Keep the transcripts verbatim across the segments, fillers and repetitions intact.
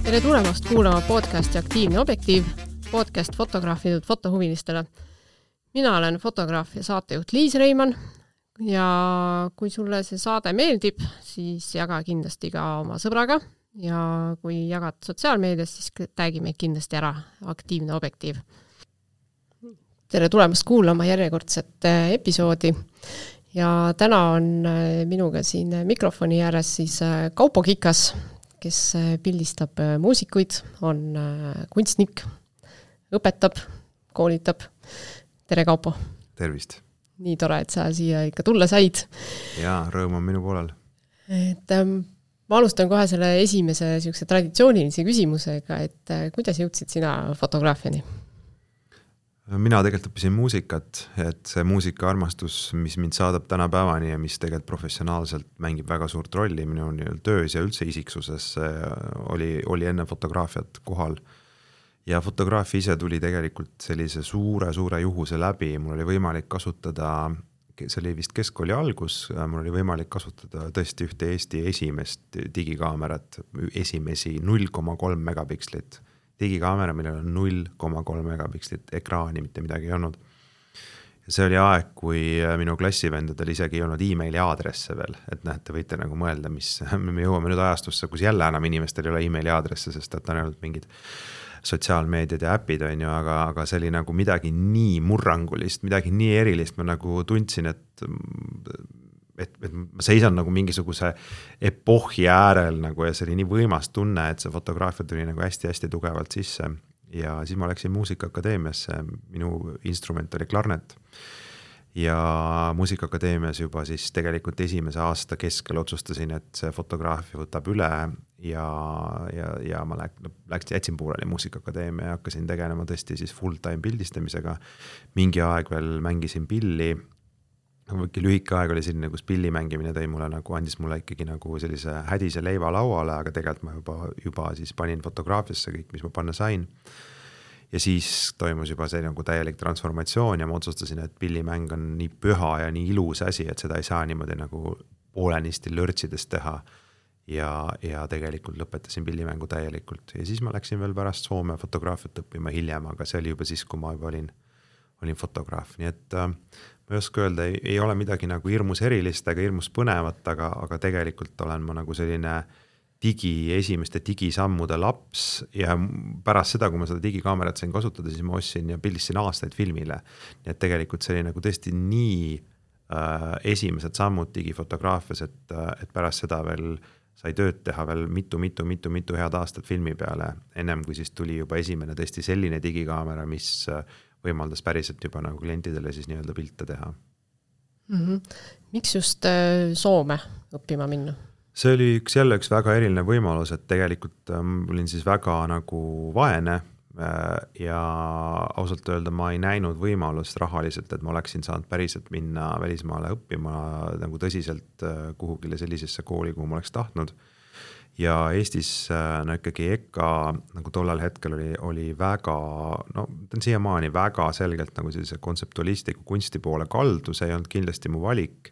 Tere tulemast kuulama podcasti Aktiivne objektiiv, podcast fotograafidud fotohuvilistele. Mina olen fotograaf ja saatejuht Liis Reimann ja kui sulle see saade meeldib, siis jaga kindlasti ka oma sõbraga ja kui jagad sotsiaalmeedias, siis tagi meid kindlasti ära Aktiivne objektiiv. Tere tulemast kuulama järjekordset episoodi ja täna on minuga siin mikrofoni ääres siis Kaupo Kikas, kes pildistab muusikuid, on kunstnik, õpetab, koolitab. Tere Kaupo! Tervist! Nii tore, et sa siia ikka tulla said. Jaa, rõõm on minu poolel. Et, ähm, ma alustan kohe selle esimese siukse traditsioonilise küsimusega, et äh, kuidas jõudsid sina fotograafiani? Mina tegelikult õppisin muusikat, et see muusikaarmastus, mis mind saadab tänapäevani ja mis tegelikult professionaalselt mängib väga suurt rolli minu töös ja üldse isiksuses, oli, oli enne fotograafiat kohal. Ja fotograafia ise tuli tegelikult sellise suure, suure juhuse läbi. Mul oli võimalik kasutada, see oli vist keskkooli algus, mul oli võimalik kasutada tõesti ühte Eesti esimest digikaamerat, esimesi null koma kolm megapikslit. Digikaamera, millel on null koma kolm megapikslit ekraani, mitte midagi ei olnud. Ja see oli aeg, kui minu klassivendadel isegi ei olnud e-maili aadresse veel, et näete, võite nagu mõelda, mis me jõuame nüüd ajastusse, kus jälle enam inimestel ei ole e-maili aadresse, sest et on ainult mingid sotsiaalmeediad ja äpid, on ju, aga, aga see oli nagu midagi nii murrangulist, midagi nii erilist, ma nagu tundsin, et Et, et ma seisan nagu mingisuguse epohhi äärel nagu, ja see oli nii võimas tunne, et see fotograafia tuli nagu hästi-hästi tugevalt sisse. Ja siis ma läksin Muusikaakadeemiasse, minu instrument oli klarnet. Ja Muusikaakadeemias juba siis tegelikult esimese aasta keskel otsustasin, et see fotograafia võtab üle ja, ja, ja ma läksin, jätsin pooleli Muusikaakadeemia ja hakkasin tegelema tõesti siis full-time pildistamisega. Mingi aeg veel mängisin pilli. Võiki lühike aeg oli selline, kus pilli mängimine tõi mulle nagu, andis mulle ikkagi nagu sellise hädise leiva lauale, aga tegelikult ma juba, juba siis panin fotograafiasse kõik, mis ma panna sain. Ja siis toimus juba see nagu täielik transformatsioon ja ma otsustasin, et pillimäng on nii püha ja nii ilus asi, et seda ei saa niimoodi nagu poolenisti lörtsides teha. Ja, ja tegelikult lõpetasin pillimängu täielikult. Ja siis ma läksin veel pärast Soome fotograafiat õppima hiljem, aga see oli juba siis, kui ma juba olin, olin fotograaf. Nii et äh, ma ei oska öelda, ei, ei ole midagi nagu hirmus erilist ega hirmus põnevat, aga, aga tegelikult olen ma nagu selline digi, esimeste digisammude laps ja pärast seda, kui ma seda digikaamerat sain kasutada, siis ma ostsin ja pildistasin aastaid filmile. Nii et tegelikult see oli nagu tõesti nii äh, esimesed sammud digifotograafias, et, et pärast seda veel sai tööd teha veel mitu, mitu, mitu, mitu head aastat filmi peale, ennem kui siis tuli juba esimene tõesti selline digikaamera, mis võimaldas päriselt juba nagu klientidele siis nii-öelda pilte teha. Mm-hmm. Miks just Soome õppima minna? See oli üks jälle üks väga eriline võimalus, et tegelikult ähm, olin siis väga nagu vaene äh, ja ausalt öelda ma ei näinud võimalust rahaliselt, et ma oleksin saanud päriselt minna välismaale õppima nagu tõsiselt äh, kuhugile sellisesse kooli, kuhu ma oleks tahtnud. Ja Eestis no ikkagi E K A nagu tollel hetkel oli, oli väga, no ta on siiamaani väga selgelt nagu sellise kontseptualistiku kunsti poole kaldu, see ei olnud kindlasti mu valik.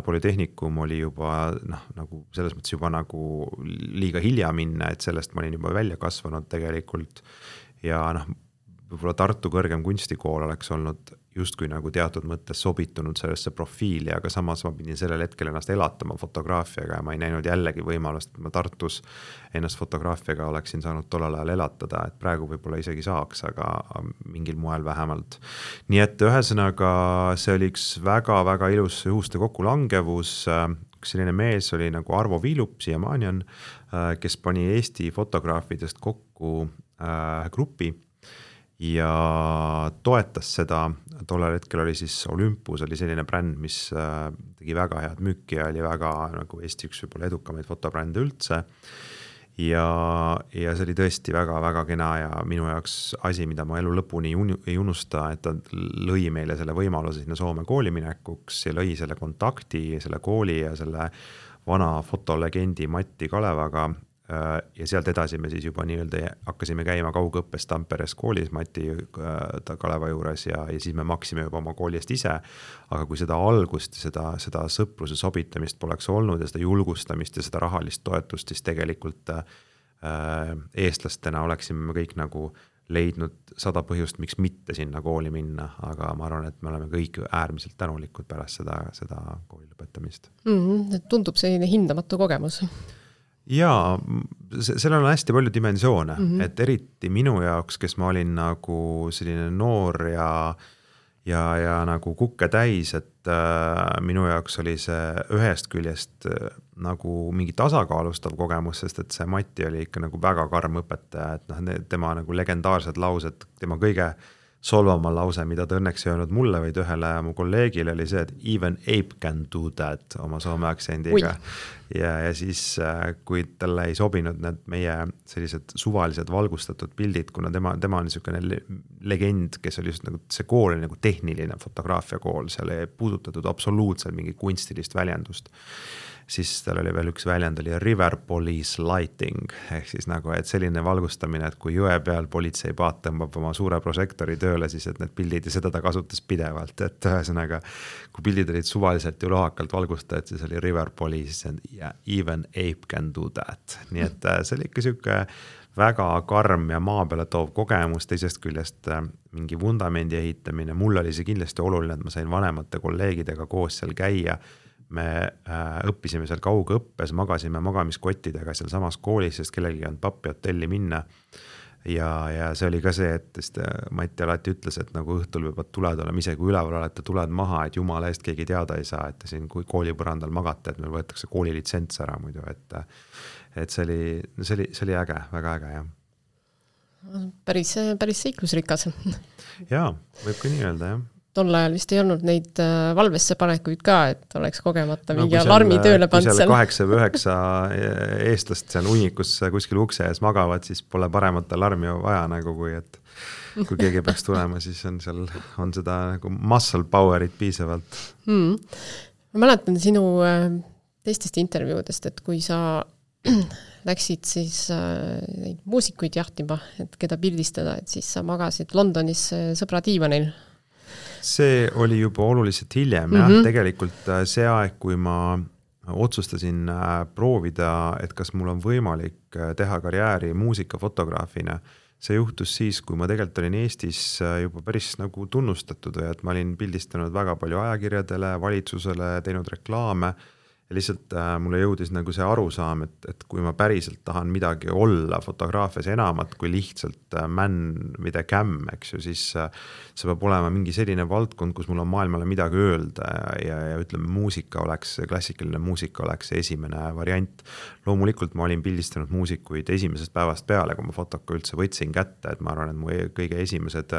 Polütehnikum oli juba noh, nagu selles mõttes juba nagu liiga hilja minna, et sellest ma olin juba välja kasvanud tegelikult ja noh, võib-olla Tartu kõrgem kunstikool oleks olnud justkui nagu teatud mõttes sobitunud sellesse profiili, aga samas ma pidin sellel hetkel ennast elatama fotograafiaga ja ma ei näinud jällegi võimalust, et ma Tartus ennast fotograafiaga oleksin saanud tollal ajal elatada, et praegu võib-olla isegi saaks, aga mingil moel vähemalt. Nii et ühesõnaga see oli üks väga-väga ilus juhuste kokkulangevus, üks selline mees oli nagu Arvo Viilup, siiamaani on, kes pani Eesti fotograafidest kokku äh, grupi ja toetas seda, tollel hetkel oli siis Olympus, oli selline bränd, mis tegi väga head müüki ja oli väga nagu Eesti üks võib-olla edukamaid fotobrände üldse ja, ja see oli tõesti väga-väga kena ja minu jaoks asi, mida ma elu lõpuni ei unusta, et ta lõi meile selle võimaluse sinna Soome kooli minekuks ja lõi selle kontakti, selle kooli ja selle vana fotolegendi Matti Kalevaga ja sealt edasi me siis juba nii-öelda hakkasime käima kaugõppes Tamperes koolis Mati Kaleva juures ja, ja siis me maksime juba oma koolist ise, aga kui seda algust, seda, seda sõpruse sobitamist poleks olnud ja seda julgustamist ja seda rahalist toetust, siis tegelikult eestlastena oleksime kõik nagu leidnud sada põhjust, miks mitte sinna kooli minna, aga ma arvan, et me oleme kõik äärmiselt tänulikud pärast seda, seda kooli lõpetamist. Mm-hmm. Tundub selline hindamatu kogemus. Jaa, sellel on hästi palju dimensioone, mm-hmm. et eriti minu jaoks, kes ma olin nagu selline noor ja ja, ja nagu kukke täis, et äh, minu jaoks oli see ühest küljest äh, nagu mingi tasakaalustav kogemus, sest et see Mati oli ikka nagu väga karm õpetaja, et noh, tema nagu legendaarsed laused, tema kõige solvama lause, mida ta õnneks ei öelnud mulle, vaid ühele mu kolleegile oli see, et even ape can do that oma soome aktsendiga. Ja, ja siis, kui talle ei sobinud need meie sellised suvalised valgustatud pildid, kuna tema, tema on niisugune legend, kes oli just nagu, see kool oli nagu tehniline fotograafia kool, seal ei puudutatud absoluutselt mingi kunstilist väljendust. Siis tal oli veel üks väljend, oli river police lighting, ehk siis nagu, et selline valgustamine, et kui jõe peal politseipaat tõmbab oma suure prožektori tööle, siis et need pildid ja seda ta kasutas pidevalt, et ühesõnaga, kui pildid olid suvaliselt ja lohakalt valgustajad, siis oli river police and yeah, even ape can do that. Nii et see oli ikka siuke väga karm ja maa peale toov kogemus, teisest küljest mingi vundamendi ehitamine. Mul oli see kindlasti oluline, et ma sain vanemate kolleegidega koos seal käia. Me äh, õppisime seal kaugõppes, magasime magamiskottidega seal samas koolis, sest kellelgi on pappi hotelli minna. Ja, ja see oli ka see, et Mati alati ütles, et nagu õhtul võivad tuled olema, ise kui üleval olete tuled maha, et jumala eest keegi teada ei saa, et siin kui koolipõrandal magate, et meil võetakse koolilitsents ära muidu, et, et see oli, see oli, see oli äge, väga äge, jah. Päris, päris seiklusrikas. Jaa, võib ka nii öelda, jah. Tol ajal vist ei olnud neid valvesse panekuid ka, et oleks kogemata no, mingi alarmi tööle pand seal. Kui seal kaheksa või üheksa eestlast seal unikus kuskil ukse ees magavad, siis pole paremat alarmi vaja nagu, kui et kui keegi peaks tulema, siis on seal on seda nagu muscle powerit piisavalt. Hmm. Ma mäletan sinu teistest intervjuudest, et kui sa läksid siis neid muusikuid jahtima, et keda pildistada, et siis sa magasid Londonis sõbra diivanil. See oli juba oluliselt hiljem, mm-hmm. jah, tegelikult see aeg, kui ma otsustasin proovida, et kas mul on võimalik teha karjääri muusikafotograafina, see juhtus siis, kui ma tegelikult olin Eestis juba päris nagu tunnustatud, et ma olin pildistanud väga palju ajakirjadele, valitsusele, teinud reklaame ja lihtsalt äh, mulle jõudis nagu see arusaam, et, et kui ma päriselt tahan midagi olla fotograafias enamat kui lihtsalt äh, man with a cam, eks ju, siis äh, see peab olema mingi selline valdkond, kus mul on maailmale midagi öelda ja, ja, ja ütleme, muusika oleks, klassikaline muusika oleks esimene variant. Loomulikult ma olin pildistanud muusikuid esimesest päevast peale, kui ma fotoka üldse võtsin kätte, et ma arvan, et mu kõige esimesed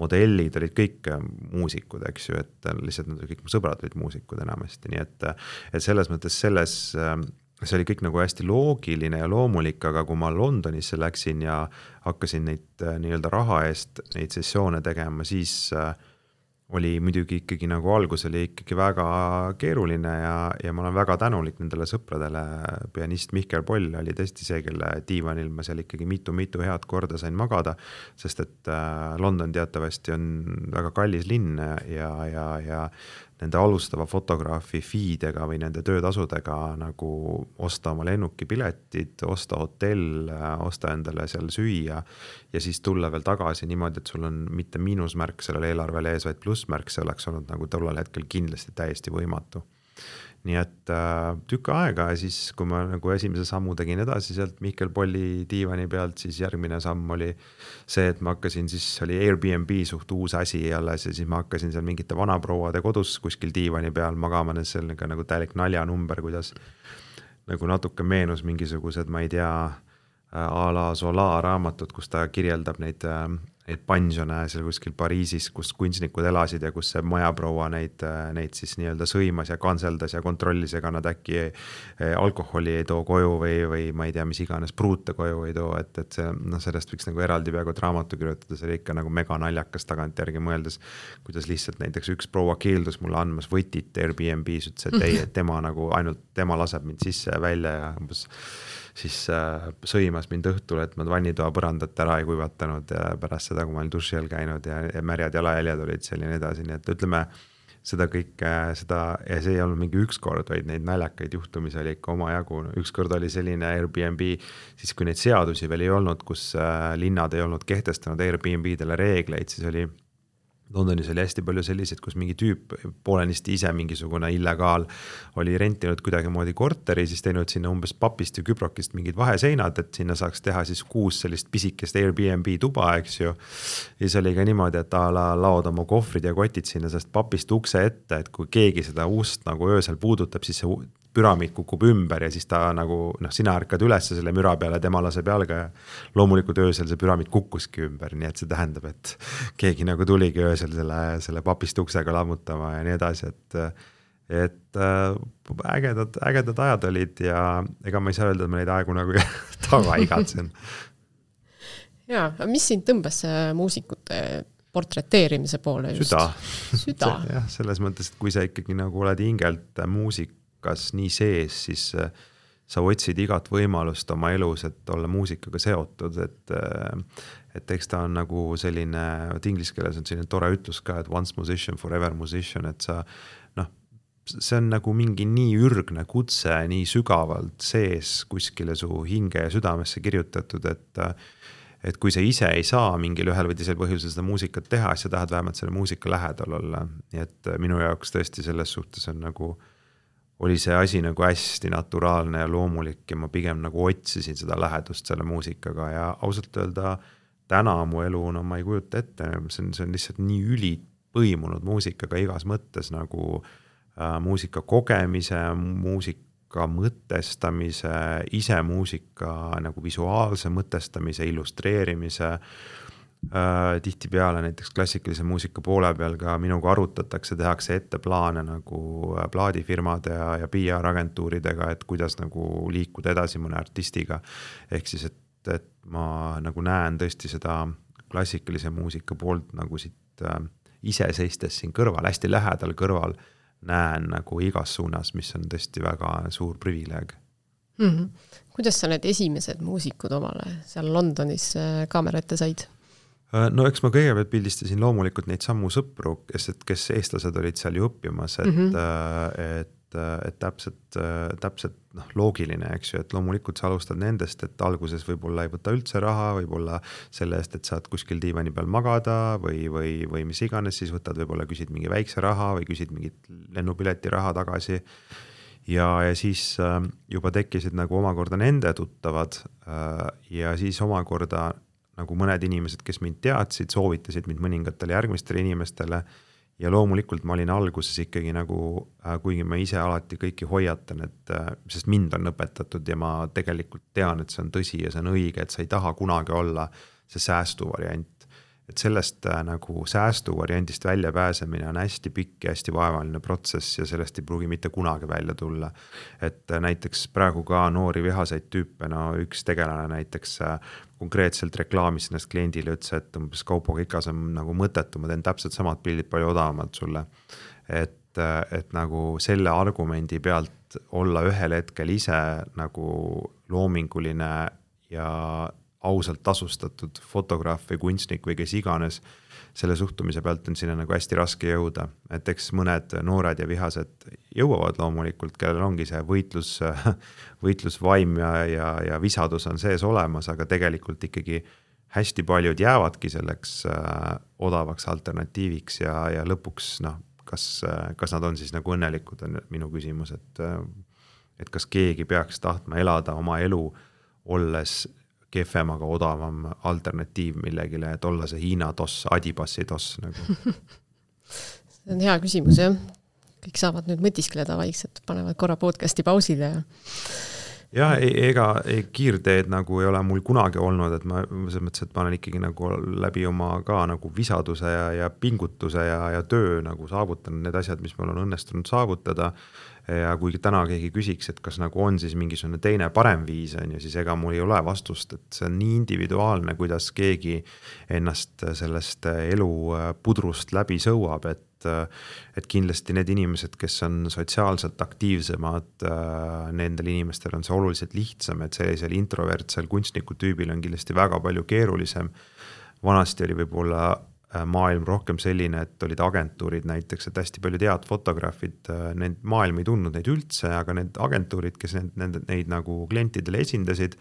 modellid olid kõik muusikud, eks ju, et lihtsalt nad kõik mu sõbrad olid muusikud enamasti, nii et, et selles mõttes selles, see oli kõik nagu hästi loogiline ja loomulik, aga kui ma Londonisse läksin ja hakkasin neid nii-öelda raha eest neid sessioone tegema, siis oli muidugi ikkagi nagu algus oli ikkagi väga keeruline ja, ja ma olen väga tänulik nendele sõpradele. Pianist Mihkel Poll oli tõesti see, kelle diivanil ma seal ikkagi mitu-mitu head korda sain magada, sest et London teatavasti on väga kallis linn ja, ja, ja nende alustava fotograafi feedega või nende töötasudega nagu osta oma lennukipiletid, osta hotell, osta endale seal süüa ja siis tulla veel tagasi niimoodi, et sul on mitte miinusmärk sellele eelarvele ees, vaid plussmärk, see oleks olnud nagu tollal hetkel kindlasti täiesti võimatu. Nii et äh, tükk aega ja siis, kui ma nagu esimese sammu tegin edasi sealt Mihkel Polli diivani pealt, siis järgmine samm oli see, et ma hakkasin, siis oli Airbnb suht uus asi alles ja siis ma hakkasin seal mingite vanaprouade kodus kuskil diivani peal magama, seal nagu täielik naljanumber, kuidas nagu natuke meenus mingisugused, ma ei tea, a la Zola raamatud, kus ta kirjeldab neid neid pensione seal kuskil Pariisis, kus kunstnikud elasid ja kus see majaproua neid, neid siis nii-öelda sõimas ja kanseldas ja kontrollis, ega nad äkki alkoholi ei too koju või, või ma ei tea, mis iganes pruute koju ei too, et, et see, no sellest võiks nagu eraldi peaaegu raamatu kirjutada, see oli ikka nagu mega naljakas tagant järgi mõeldes, kuidas lihtsalt näiteks üks proua keeldus mulle andmas võtit Airbnb's, ütles, et ei, et tema nagu ainult tema laseb mind sisse ja välja ja umbes siis äh, sõimas mind õhtul, et ma vannitoa põrandat ära ei kuivatanud ja pärast seda, kui ma olin duši all käinud ja, ja märjad jalajäljed olid selline edasi, nii et ütleme, seda kõike, seda, ja see ei olnud mingi üks kord, vaid neid naljakaid juhtumisi oli ikka oma jagu. Üks kord oli selline Airbnb, siis kui neid seadusi veel ei olnud, kus linnad ei olnud kehtestanud Airbnb-dele reegleid, siis oli Londonis oli hästi palju selliseid, kus mingi tüüp poolenisti ise mingisugune illegaal oli rentinud kuidagimoodi korteri, siis teinud sinna umbes papist ja küprokist mingid vaheseinad, et sinna saaks teha siis kuus sellist pisikest Airbnb tuba, eks ju. Ja siis oli ka niimoodi, et ta la, laod oma kohvrid ja kotid sinna sellest papist ukse ette, et kui keegi seda ust nagu öösel puudutab, siis see püramiid kukub ümber ja siis ta nagu, noh, sina ärkad üles selle müra peale, tema laseb jalga ja loomulikult öösel see püramiid kukkuski ümber, nii et see tähendab, et keegi nagu tuligi öösel selle, selle papist uksega lammutama ja nii edasi, et, et ägedad, ägedad ajad olid ja ega ma ei saa öelda, et ma neid aegu nagu taga igatsen. Jaa, mis sind tõmbas muusikute portreteerimise poole just? Süda. Süda. jah, selles mõttes, et kui sa ikkagi nagu oled hingelt muusik, kas nii sees, siis sa otsid igat võimalust oma elus, et olla muusikaga seotud, et, et eks ta on nagu selline, et inglise keeles on selline tore ütlus ka, et once musician, forever musician, et sa, noh, see on nagu mingi nii ürgne kutse, nii sügavalt sees kuskile su hinge ja südamesse kirjutatud, et et kui sa ise ei saa mingil ühel või teisel põhjusel seda muusikat teha, siis sa tahad vähemalt selle muusika lähedal olla. Nii et minu jaoks tõesti selles suhtes on nagu oli see asi nagu hästi naturaalne ja loomulik ja ma pigem nagu otsisin seda lähedust selle muusikaga ja ausalt öelda täna mu elu, no ma ei kujuta ette, see on, see on lihtsalt nii üli põimunud muusikaga igas mõttes nagu äh, muusika kogemise, muusika mõtestamise, ise muusika nagu visuaalse mõtestamise, illustreerimise, Uh, tihti peale näiteks klassikalise muusika poole peal ka minuga arutatakse, tehakse ette plaane nagu plaadifirmade ja, ja P R-agentuuridega, et kuidas nagu liikuda edasi mõne artistiga. Ehk siis, et, et ma nagu näen tõesti seda klassikalise muusika poolt nagu siit äh, ise seistes siin kõrval, hästi lähedal kõrval näen nagu igas suunas, mis on tõesti väga suur privileeg. Mm-hmm. Kuidas sa need esimesed muusikud omale seal Londonis kaamera ette said? No eks ma kõigepealt pildistasin loomulikult neid sammu sõpru, kes, kes eestlased olid seal ju õppimas, et, mm-hmm. et, et täpselt, täpselt noh, loogiline, eks ju, et loomulikult sa alustad nendest, et alguses võib-olla ei võta üldse raha, võib-olla selle eest, et saad kuskil diivani peal magada või, või, või mis iganes, siis võtad võib-olla küsid mingi väikse raha või küsid mingit lennupileti raha tagasi ja, ja siis juba tekkisid nagu omakorda nende tuttavad ja siis omakorda nagu mõned inimesed, kes mind teadsid, soovitasid mind mõningatele järgmistele inimestele ja loomulikult ma olin alguses ikkagi nagu, kuigi ma ise alati kõiki hoiatan, et sest mind on õpetatud ja ma tegelikult tean, et see on tõsi ja see on õige, et sa ei taha kunagi olla see säästuvariant. Et sellest nagu säästuvariandist välja pääsemine on hästi pikk ja hästi vaevaline protsess ja sellest ei pruugi mitte kunagi välja tulla. Et näiteks praegu ka noori vihaseid tüüpe, no üks tegelane näiteks konkreetselt reklaamis ennast kliendile ütles, et umbes Kaupo Kikas on nagu mõttetu, ma teen täpselt samad pildid palju odavamalt sulle. Et, et nagu selle argumendi pealt olla ühel hetkel ise nagu loominguline ja ausalt tasustatud fotograaf või kunstnik või kes iganes, selle suhtumise pealt on sinna nagu hästi raske jõuda. Et eks mõned noored ja vihased jõuavad loomulikult, kellel ongi see võitlus, võitlusvaim ja, ja, ja visadus on sees olemas, aga tegelikult ikkagi hästi paljud jäävadki selleks äh, odavaks alternatiiviks ja, ja lõpuks, noh, kas, kas nad on siis nagu õnnelikud, on minu küsimus, et, et kas keegi peaks tahtma elada oma elu, olles kefem, aga odavam alternatiiv millegile, et olla see Hiina toss, Adibassi toss. Nagu. See on hea küsimus, jah. Kõik saavad nüüd mõtiskleda vaikselt, panevad korra podcasti pausile. Ja... jah, ega kiirteed nagu ei ole mul kunagi olnud, et ma selles mõttes, et ma olen ikkagi nagu läbi oma ka nagu visaduse ja, ja pingutuse ja, ja töö nagu saavutanud need asjad, mis mul on õnnestunud saavutada. Ja kui täna keegi küsiks, et kas nagu on siis mingisugune teine parem viis on ja siis ega mul ei ole vastust, et see on nii individuaalne, kuidas keegi ennast sellest elu pudrust läbi sõuab, et, et kindlasti need inimesed, kes on sotsiaalselt aktiivsemad, nendel inimestel on see oluliselt lihtsam, et sellisel introvertsel kunstniku tüübil on kindlasti väga palju keerulisem. Vanasti oli võib-olla maailm rohkem selline, et olid agentuurid näiteks, et hästi paljud head fotograafid, need maailm ei tundnud neid üldse, aga need agentuurid, kes need, need, neid nagu klientidele esindasid,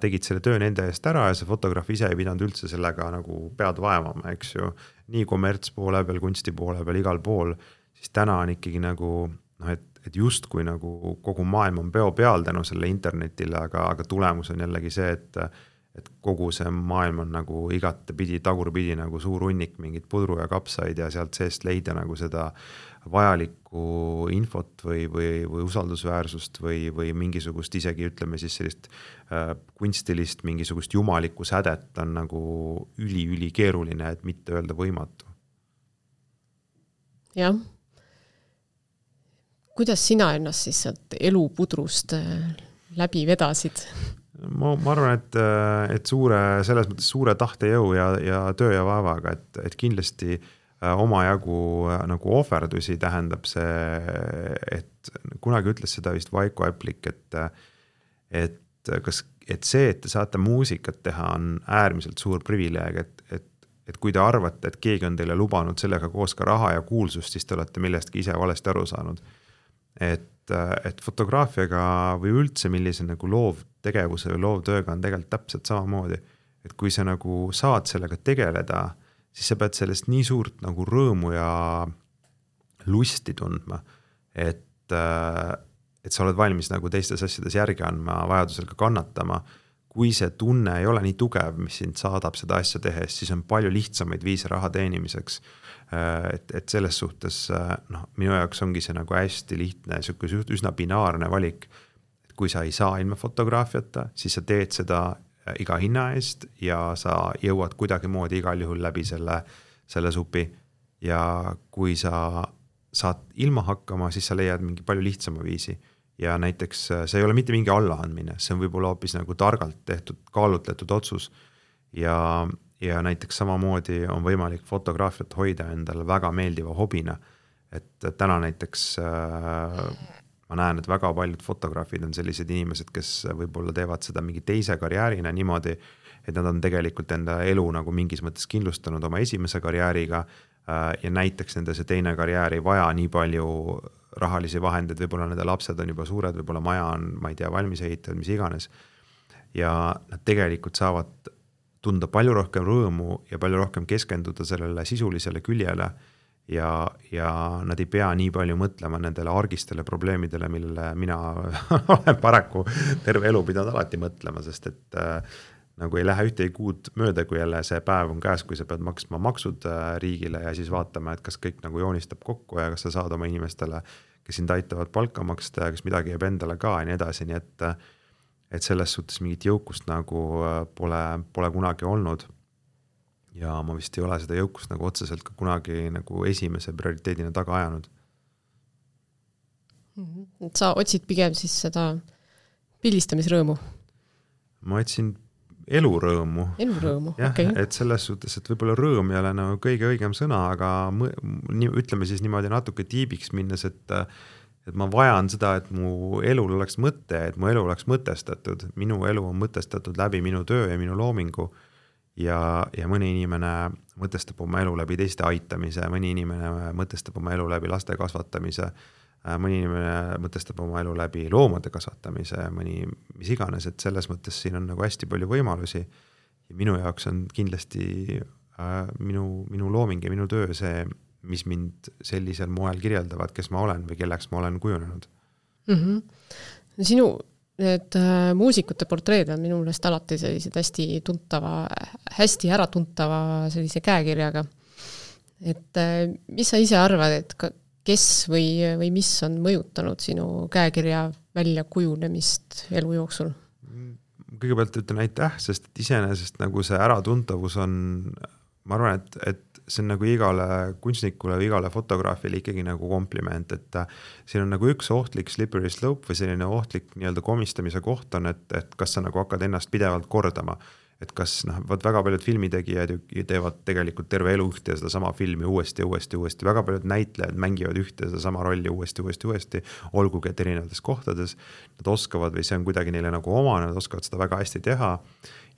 tegid selle töö nende eest ära ja see fotograaf ise ei pidanud üldse sellega nagu pead vaevama, eks ju. Nii kommerts poole peal, kunsti poole peal, igal pool, siis täna on ikkagi nagu, noh, et, et just kui nagu kogu maailm on peo peal tänu selle internetile, aga, aga tulemus on jällegi see, et et kogu see maailm on nagu igate pidi, tagurpidi nagu suur hunnik mingit pudru ja kapsaid ja sealt seest leida nagu seda vajalikku infot või, või, või usaldusväärsust või, või mingisugust isegi ütleme siis sellist äh, kunstilist mingisugust jumalikku sädet on nagu üli-üli keeruline, et mitte öelda võimatu. Jah. Kuidas sina ennast siis sealt elupudrust läbi vedasid? Ma, ma arvan, et, et suure, selles mõttes suure tahtejõu ja, ja töö ja vaevaga, et, et kindlasti omajagu nagu ohverdusi tähendab see, et kunagi ütles seda vist Vaiko Äplik, et, et, kas, et see, et te saate muusikat teha, on äärmiselt suur privileeg, et, et, et kui te arvate, et keegi on teile lubanud sellega koos ka raha ja kuulsust, siis te olete millestki ise valesti aru saanud. Et, et fotograafiaga või üldse millise nagu loovtegevuse või loovtööga on tegelikult täpselt samamoodi, et kui sa nagu saad sellega tegeleda, siis sa pead sellest nii suurt nagu rõõmu ja lusti tundma, et, et sa oled valmis nagu teistes asjades järgi andma, vajadusel ka kannatama. Kui see tunne ei ole nii tugev, mis sind saadab seda asja tehes, siis on palju lihtsamaid viise raha teenimiseks. Et, et selles suhtes, noh, minu jaoks ongi see nagu hästi lihtne, üsna binaarne valik. Et kui sa ei saa ilma fotograafiata, siis sa teed seda iga hinna eest ja sa jõuad kuidagi moodi igal juhul läbi selle, selle supi. Ja kui sa saad ilma hakkama, siis sa leiad mingi palju lihtsama viisi. Ja näiteks see ei ole mitte mingi allaandmine, see on võib-olla hoopis nagu targalt tehtud, kaalutletud otsus. Ja Ja näiteks samamoodi on võimalik fotograafiat hoida endale väga meeldiva hobina. Et täna näiteks äh, ma näen, et väga paljud fotograafid on sellised inimesed, kes võib-olla teevad seda mingi teise karjäärina niimoodi, et nad on tegelikult enda elu nagu mingis mõttes kindlustanud oma esimese karjääriga äh, ja näiteks nende see teine karjäär ei vaja nii palju rahalisi vahendeid, võib-olla nende lapsed on juba suured, võib-olla maja on, ma ei tea, valmis ehitatud, mis iganes. Ja nad tegelikult saavad tunda palju rohkem rõõmu ja palju rohkem keskenduda sellele sisulisele küljele ja, ja nad ei pea nii palju mõtlema nendele argistele probleemidele, millele mina olen paraku terve elu pidanud alati mõtlema, sest et äh, nagu ei lähe ühtegi kuud mööda, kui jälle see päev on käes, kui sa pead maksma maksud äh, riigile ja siis vaatama, et kas kõik nagu joonistab kokku ja kas sa saad oma inimestele, kes sind aitavad palka maksta ja kas midagi jääb endale ka ja nii edasi, nii et äh, et selles suhtes mingit jõukust nagu pole, pole kunagi olnud. Ja ma vist ei ole seda jõukust nagu otseselt ka kunagi nagu esimese prioriteedina taga ajanud. Sa otsid pigem siis seda pildistamisrõõmu? Ma otsin elurõõmu. Elurõõmu, okei. Okay. Et selles suhtes, et võib-olla rõõm ei ole nagu kõige õigem sõna, aga mõ, ütleme siis niimoodi natuke tiibiks minnes, et et ma vajan seda, et mu elul oleks mõte, et mu elu oleks mõtestatud. Minu elu on mõtestatud läbi minu töö ja minu loomingu ja, ja mõni inimene mõtestab oma elu läbi teiste aitamise, mõni inimene mõtestab oma elu läbi laste kasvatamise, mõni inimene mõtestab oma elu läbi loomade kasvatamise, mõni mis iganes, et selles mõttes siin on nagu hästi palju võimalusi ja minu jaoks on kindlasti äh, minu, minu looming ja minu töö see, mis mind sellisel moel kirjeldavad, kes ma olen või kelleks ma olen kujunenud. Mm-hmm. Sinu need äh, muusikute portreed on minu meelest alati sellised hästi tuntava, hästi äratuntava sellise käekirjaga. Et äh, mis sa ise arvad, et ka, kes või, või mis on mõjutanud sinu käekirja välja kujunemist elu jooksul? Kõigepealt ütlen aitäh, sest iseenesest nagu see äratuntavus on, ma arvan, et, et see on nagu igale kunstnikule või igale fotograafile ikkagi nagu kompliment, et siin on nagu üks ohtlik slippery slope või selline ohtlik nii-öelda komistamise koht on, et, et kas sa nagu hakkad ennast pidevalt kordama. et kas noh, vaat väga paljud filmitegijad ju teevad tegelikult terve elu ühte ja seda sama filmi uuesti, uuesti, uuesti, väga paljud näitlejad mängivad ühte ja seda sama rolli uuesti, uuesti, uuesti, olgugi et erinevates kohtades, nad oskavad või see on kuidagi neile nagu omane, nad oskavad seda väga hästi teha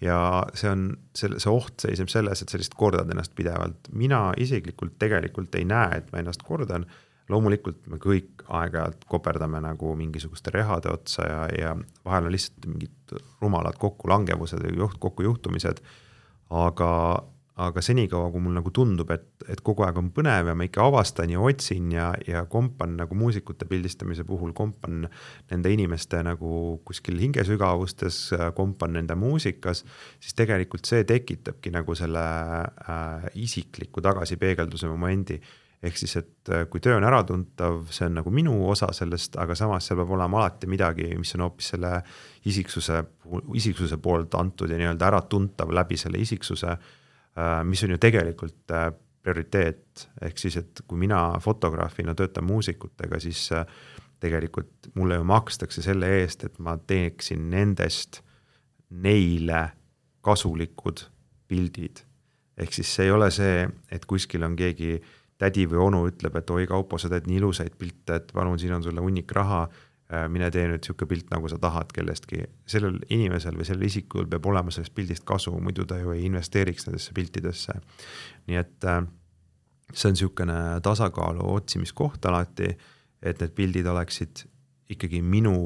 ja see on, see, see oht seisneb selles, et sellist kordad ennast pidevalt. Mina isiklikult tegelikult ei näe, et ma ennast kordan, loomulikult me kõik aeg-ajalt koperdame nagu mingisugust rehade otsa ja, ja vahel on lihtsalt mingid rumalad kokkulangevused ja juht, kokkujuhtumised, aga, aga senikaua, kui mul nagu tundub, et, et kogu aeg on põnev ja ma ikka avastan ja otsin ja, ja kompan nagu muusikute pildistamise puhul, kompan nende inimeste nagu kuskil hingesügavustes, kompan nende muusikas, siis tegelikult see tekitabki nagu selle äh, isikliku tagasipeegelduse momendi. Ehk siis, et kui töö on äratuntav, see on nagu minu osa sellest, aga samas seal peab olema alati midagi, mis on hoopis selle isiksuse, isiksuse poolt antud ja nii-öelda äratuntav läbi selle isiksuse, mis on ju tegelikult prioriteet. Ehk siis, et kui mina fotograafina töötan muusikutega, siis tegelikult mulle ju makstakse selle eest, et ma teeksin nendest neile kasulikud pildid. Ehk siis see ei ole see, et kuskil on keegi tädi või onu ütleb, et oi Kaupo, sa teed nii ilusaid pilte, et palun, siin on sulle hunnik raha, mine tee nüüd siuke pilt, nagu sa tahad kellestki. Sellel inimesel või sellel isikul peab olema sellest pildist kasu, muidu ta ju ei investeeriks nendesse piltidesse. Nii et see on siukene tasakaalu otsimiskoht alati, et need pildid oleksid ikkagi minu,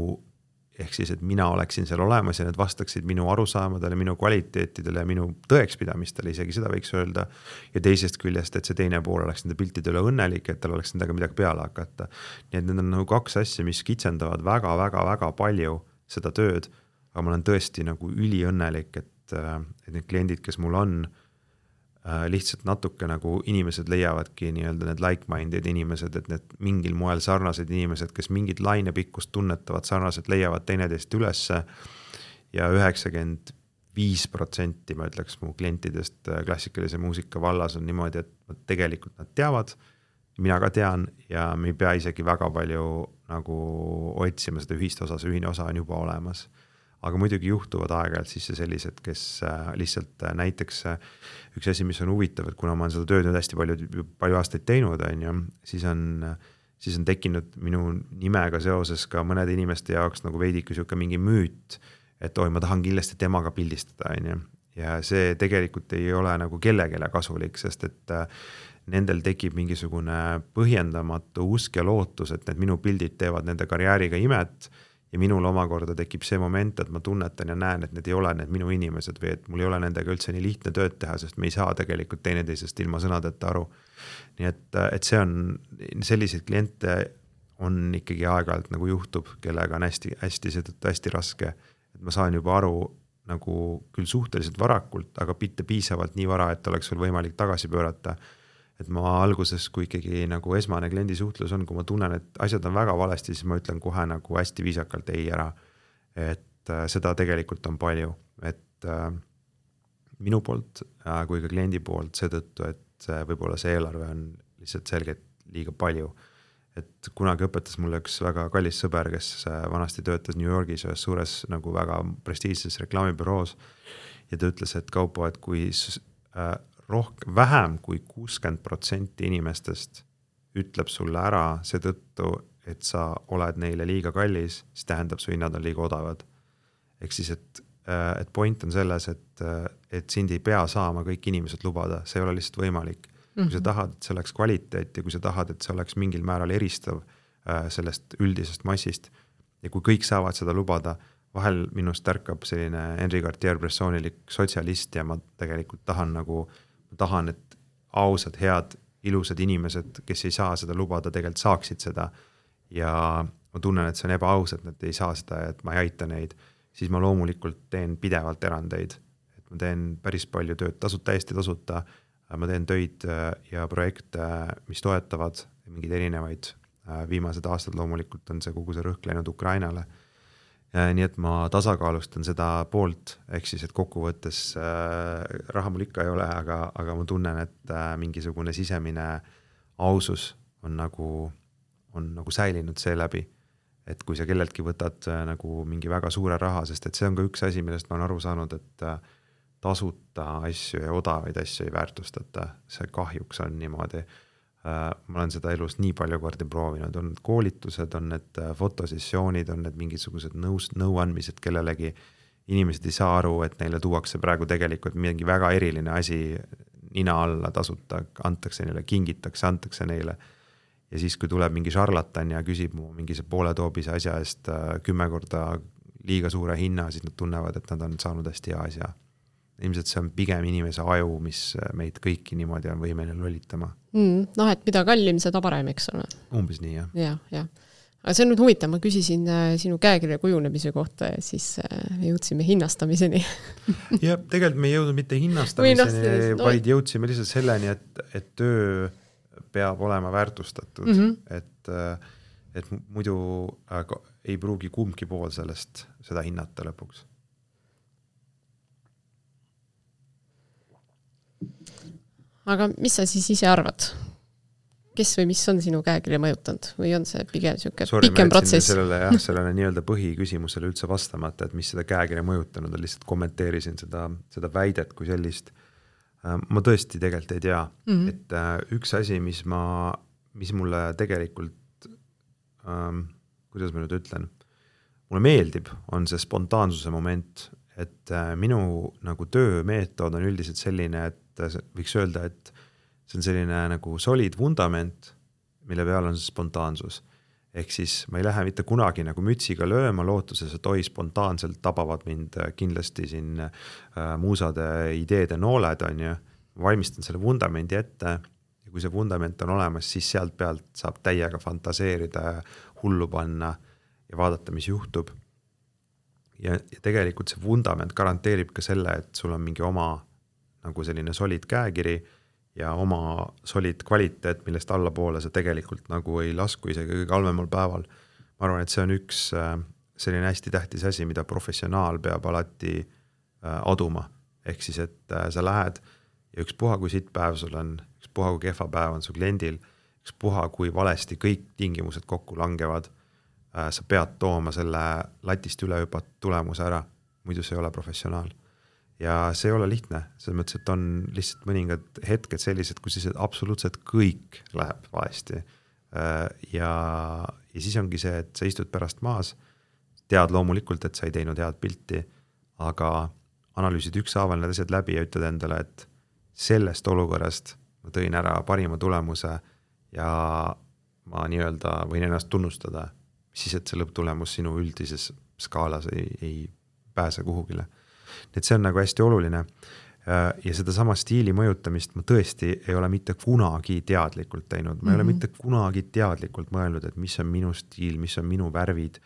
ehk siis, et mina oleksin seal olemas ja need vastaksid minu arusaamadele, minu kvaliteetidele ja minu tõekspidamistele, isegi seda võiks öelda. Ja teisest küljest, et see teine pool oleks nende piltidele õnnelik, et tal oleks nendega midagi peale hakata. Nii et need on nagu kaks asja, mis kitsendavad väga, väga, väga palju seda tööd, aga ma olen tõesti nagu üliõnnelik, et, et need kliendid, kes mul on, lihtsalt natuke nagu inimesed leiavadki nii-öelda need like-minded inimesed, et need mingil moel sarnased inimesed, kes mingid lainepikkust tunnetavad sarnaselt, leiavad teineteist ülesse ja üheksakümmend viis protsenti ma ütleks mu klientidest klassikalise muusika vallas on niimoodi, et tegelikult nad teavad, mina ka tean ja me ei pea isegi väga palju nagu otsima seda ühist osa, see ühine osa on juba olemas. Aga muidugi juhtuvad aeg-ajalt siis sellised, kes lihtsalt näiteks üks asi, mis on huvitav, et kuna ma olen seda tööd nüüd hästi palju, palju aastaid teinud, on ju, siis on, siis on tekkinud minu nimega seoses ka mõnede inimeste jaoks nagu veidike siuke mingi müüt, et oi, ma tahan kindlasti temaga pildistada, on ju. Ja see tegelikult ei ole nagu kellegele kasulik, sest et nendel tekib mingisugune põhjendamatu usk ja lootus, et need minu pildid teevad nende karjääriga imet. Ja minul omakorda tekib see moment, et ma tunnetan ja näen, et need ei ole need minu inimesed või et mul ei ole nendega üldse nii lihtne tööd teha, sest me ei saa tegelikult teineteisest ilma sõnadeta aru. Nii et, et see on, selliseid kliente on ikkagi aeg-ajalt nagu juhtub, kellega on hästi, hästi, seetõttu hästi raske. Et ma saan juba aru nagu küll suhteliselt varakult, aga mitte piisavalt nii vara, et oleks sul võimalik tagasi pöörata. Et ma alguses, kui ikkagi nagu esmane kliendi suhtlus on, kui ma tunnen, et asjad on väga valesti, siis ma ütlen kohe nagu hästi viisakalt ei ära. Et äh, seda tegelikult on palju. Et äh, minu poolt äh, kui ka kliendi poolt seetõttu, et äh, võib-olla see eelarve on lihtsalt selgelt liiga palju. Et kunagi õpetas mulle üks väga kallis sõber, kes äh, vanasti töötas New Yorgis ühes suures nagu väga prestiižses reklaamibüroos ja ta ütles, et Kaupo, et kui äh, rohk, vähem kui kuuskümmend protsenti inimestest ütleb sulle ära seetõttu, et sa oled neile liiga kallis, siis tähendab su hinnad on liiga odavad. Ehk siis, et, et point on selles, et, et sind ei pea saama kõik inimesed lubada, see ei ole lihtsalt võimalik. Kui sa tahad, et see oleks kvaliteet ja kui sa tahad, et see oleks mingil määral eristav sellest üldisest massist ja kui kõik saavad seda lubada, vahel minust ärkab selline Henri Cartier-Bressonilik sotsialist ja ma tegelikult tahan nagu ma tahan, et ausad, head, ilusad inimesed, kes ei saa seda lubada, tegelikult saaksid seda ja ma tunnen, et see on ebaaus, et nad ei saa seda ja et ma ei aita neid, siis ma loomulikult teen pidevalt erandeid. Et ma teen päris palju tööd tasuta, täiesti tasuta, ma teen töid ja projekte, mis toetavad mingid erinevaid. Viimased aastad loomulikult on see kogu see rõhk läinud Ukrainale. Nii et ma tasakaalustan seda poolt, ehk siis, et kokkuvõttes äh, raha mul ikka ei ole, aga, aga ma tunnen, et äh, mingisugune sisemine ausus on nagu, on nagu säilinud see läbi. Et kui sa kelleltki võtad äh, nagu mingi väga suure raha, sest et see on ka üks asi, millest ma olen aru saanud, et äh, tasuta asju ja odavaid asju ei väärtustata, see kahjuks on niimoodi. Ma olen seda elus nii palju kordi proovinud, on need koolitused, on need fotosessioonid, on need mingisugused nõus, nõuandmised kellelegi, inimesed ei saa aru, et neile tuuakse praegu tegelikult mingi väga eriline asi nina alla tasuta, antakse neile, kingitakse, antakse neile. Ja siis, kui tuleb mingi šarlatan ja küsib mu mingise poole toobise asja eest kümme korda liiga suure hinna, siis nad tunnevad, et nad on saanud hästi hea asja. Ilmselt see on pigem inimese aju, mis meid kõiki niimoodi on võimeline lolitama. Mm, noh, et mida kallim, seda parem, eks ole. Umbes nii, jah. Ja, ja. Aga see on nüüd huvitav, ma küsisin sinu käekirja kujunemise kohta ja siis me jõudsime hinnastamiseni. ja tegelikult me ei jõudnud mitte hinnastamiseni, no, vaid jõudsime lihtsalt selleni, et, et töö peab olema väärtustatud, mm -hmm. et, et muidu ei pruugi kumbki pool sellest seda hinnata lõpuks. Aga mis sa siis ise arvad? Kes või mis on sinu käekirja mõjutanud? Või on see pigem siuke Sorry, pikem protsess? Sellele, jah, sellele nii-öelda põhiküsimusele üldse vastamata, et mis seda käekirja mõjutanud on, lihtsalt kommenteerisin seda, seda väidet kui sellist. Ma tõesti tegelikult ei tea, mm-hmm. et üks asi, mis, ma, mis mulle tegelikult, ähm, kuidas ma nüüd ütlen, mulle meeldib, on see spontaansuse moment, et minu nagu töömeetod on üldiselt selline, et võiks öelda, et see on selline nagu solid vundament, mille peal on see spontaansus. Ehk siis ma ei lähe mitte kunagi nagu mütsiga lööma lootuses, et oi spontaanselt tabavad mind kindlasti siin äh, muusade ideede nooled on ju. Ma valmistan selle vundamendi ette ja kui see vundament on olemas, siis sealt pealt saab täiega fantaseerida, hullu panna ja vaadata, mis juhtub. Ja, ja tegelikult see vundament garanteerib ka selle, et sul on mingi oma nagu selline solid käekiri ja oma solid kvaliteet, millest allapoole see tegelikult nagu ei lasku isegi kõige halvemal päeval. Ma arvan, et see on üks selline hästi tähtis asi, mida professionaal peab alati aduma. Ehk siis, et sa lähed ja üks puha, kui siit päev sul on, üks puha, kui kehva päev on su kliendil, üks puha, kui valesti kõik tingimused kokku langevad, sa pead tooma selle latist üle hüpat tulemuse ära, muidu see ei ole professionaal. Ja see ei ole lihtne, selles mõttes, et on lihtsalt mõningad hetked sellised, kus siis absoluutselt kõik läheb valesti. Ja, ja siis ongi see, et sa istud pärast maas, tead loomulikult, et sa ei teinud head pilti, aga analüüsid ükshaaval need asjad läbi ja ütled endale, et sellest olukorrast ma tõin ära parima tulemuse ja ma nii-öelda võin ennast tunnustada, siis et see lõpptulemus sinu üldises skaalas ei, ei pääse kuhugile. Et see on nagu hästi oluline ja seda sama stiili mõjutamist ma tõesti ei ole mitte kunagi teadlikult teinud. Ma mm-hmm. ei ole mitte kunagi teadlikult mõelnud, et mis on minu stiil, mis on minu värvid,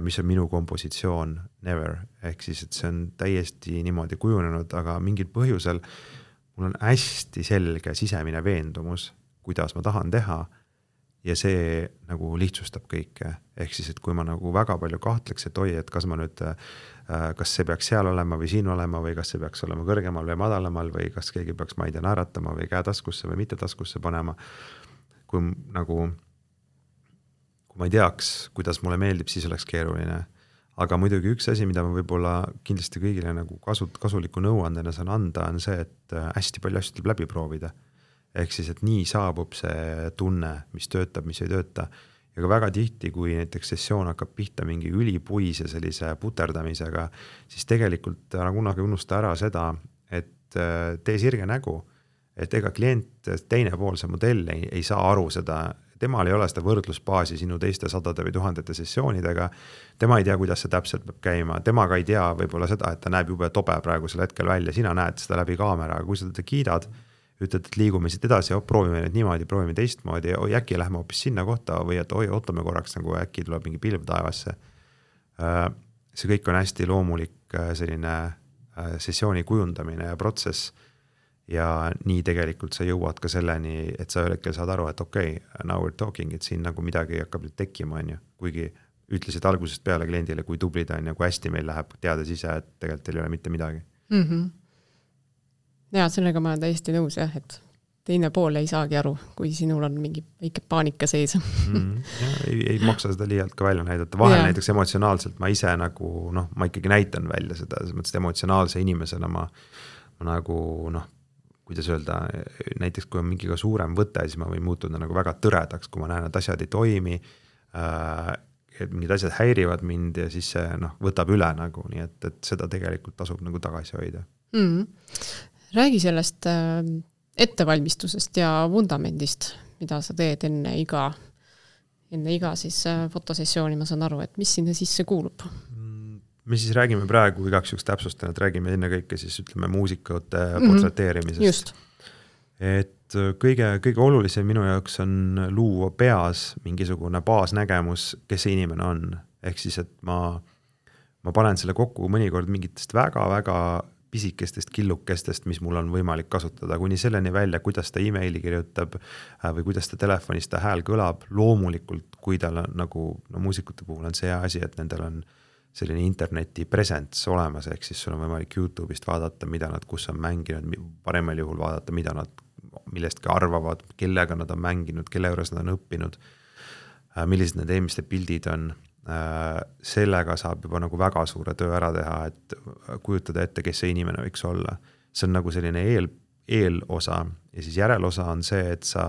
mis on minu kompositsioon, never. Ehk siis, et see on täiesti niimoodi kujunenud, aga mingil põhjusel mul on hästi selge sisemine veendumus, kuidas ma tahan teha ja see nagu lihtsustab kõike. Ehk siis, et kui ma nagu väga palju kahtleks, et oi, et kas ma nüüd kas see peaks seal olema või siin olema või kas see peaks olema kõrgemal või madalamal või kas keegi peaks ma ei tea naeratama või käe taskusse või mitte taskusse panema. Kui nagu, kui ma ei teaks, kuidas mulle meeldib, siis oleks keeruline. Aga muidugi üks asi, mida ma võib-olla kindlasti kõigile nagu kasu, kasuliku nõuandena saan anda, on see, et hästi palju asju tuleb läbi proovida. Ehk siis, et nii saabub see tunne, mis töötab, mis ei tööta. Ja ka väga tihti, kui näiteks sessioon hakkab pihta mingi ülipuise sellise puterdamisega, siis tegelikult ära kunagi unusta ära seda, et tee sirge nägu, et ega klient teine pool see modell ei, ei saa aru seda, temal ei ole seda võrdlusbaasi sinu teiste sadade või tuhandete sessioonidega, tema ei tea, kuidas see täpselt peab käima, temaga ei tea võib-olla seda, et ta näeb jube tobe praegusel hetkel välja, sina näed seda läbi kaamera, aga kui sa teda kiidad, ütled, et liigume siit edasi, proovime nüüd niimoodi, proovime teistmoodi, oi äkki lähme hoopis sinna kohta või et oi, ootame korraks, nagu äkki tuleb mingi pilv taevasse. See kõik on hästi loomulik selline sessiooni kujundamine ja protsess ja nii tegelikult sa jõuad ka selleni, et sa hetkel saad aru, et okei, okay, now we're talking, et siin nagu midagi hakkab nüüd tekkima, on ju. Kuigi ütlesid algusest peale kliendile, kui tublid on ja kui hästi meil läheb, teades ise, et tegelikult ei ole mitte midagi. Mhm. Ja sellega ma olen täiesti nõus jah, et teine pool ei saagi aru, kui sinul on mingi väike paanika sees. mm, ja, ei, ei maksa seda liialt ka välja näidata. Vahel ja. Näiteks emotsionaalselt ma ise nagu, noh, ma ikkagi näitan välja seda, selles mõttes emotsionaalse inimesena ma, ma nagu, noh, kuidas öelda, näiteks kui on mingi ka suurem võte, siis ma võin muutuda nagu väga tõredaks, kui ma näen, et asjad ei toimi, äh, et mingid asjad häirivad mind ja siis see noh, võtab üle nagu, nii et, et seda tegelikult tasub nagu tagasi hoida. Mm. Räägi sellest äh, ettevalmistusest ja vundamendist, mida sa teed enne iga, enne iga siis äh, fotosessiooni, ma saan aru, et mis sinna sisse kuulub? Me siis räägime praegu igaks juks täpsustan, et räägime enne kõike siis ütleme muusikute portreteerimisest. Mm-hmm. Just. Et kõige, kõige olulisem minu jaoks on luua peas mingisugune baasnägemus, kes see inimene on. Ehk siis, et ma, ma panen selle kokku mõnikord mingitest väga-väga pisikestest killukestest, mis mul on võimalik kasutada, kuni selleni välja, kuidas ta emaili kirjutab või kuidas ta telefonis ta hääl kõlab. Loomulikult, kui tal on nagu, no muusikute puhul on see asi, et nendel on selline interneti presence olemas, ehk siis sul on võimalik YouTube'ist vaadata, mida nad kus on mänginud, paremal juhul vaadata, mida nad millestki arvavad, kellega nad on mänginud, kelle juures nad on õppinud, millised need eelmiste pildid on. Sellega saab juba nagu väga suure töö ära teha, et kujutada ette, kes see inimene võiks olla. See on nagu selline eel, eelosa ja siis järelosa on see, et sa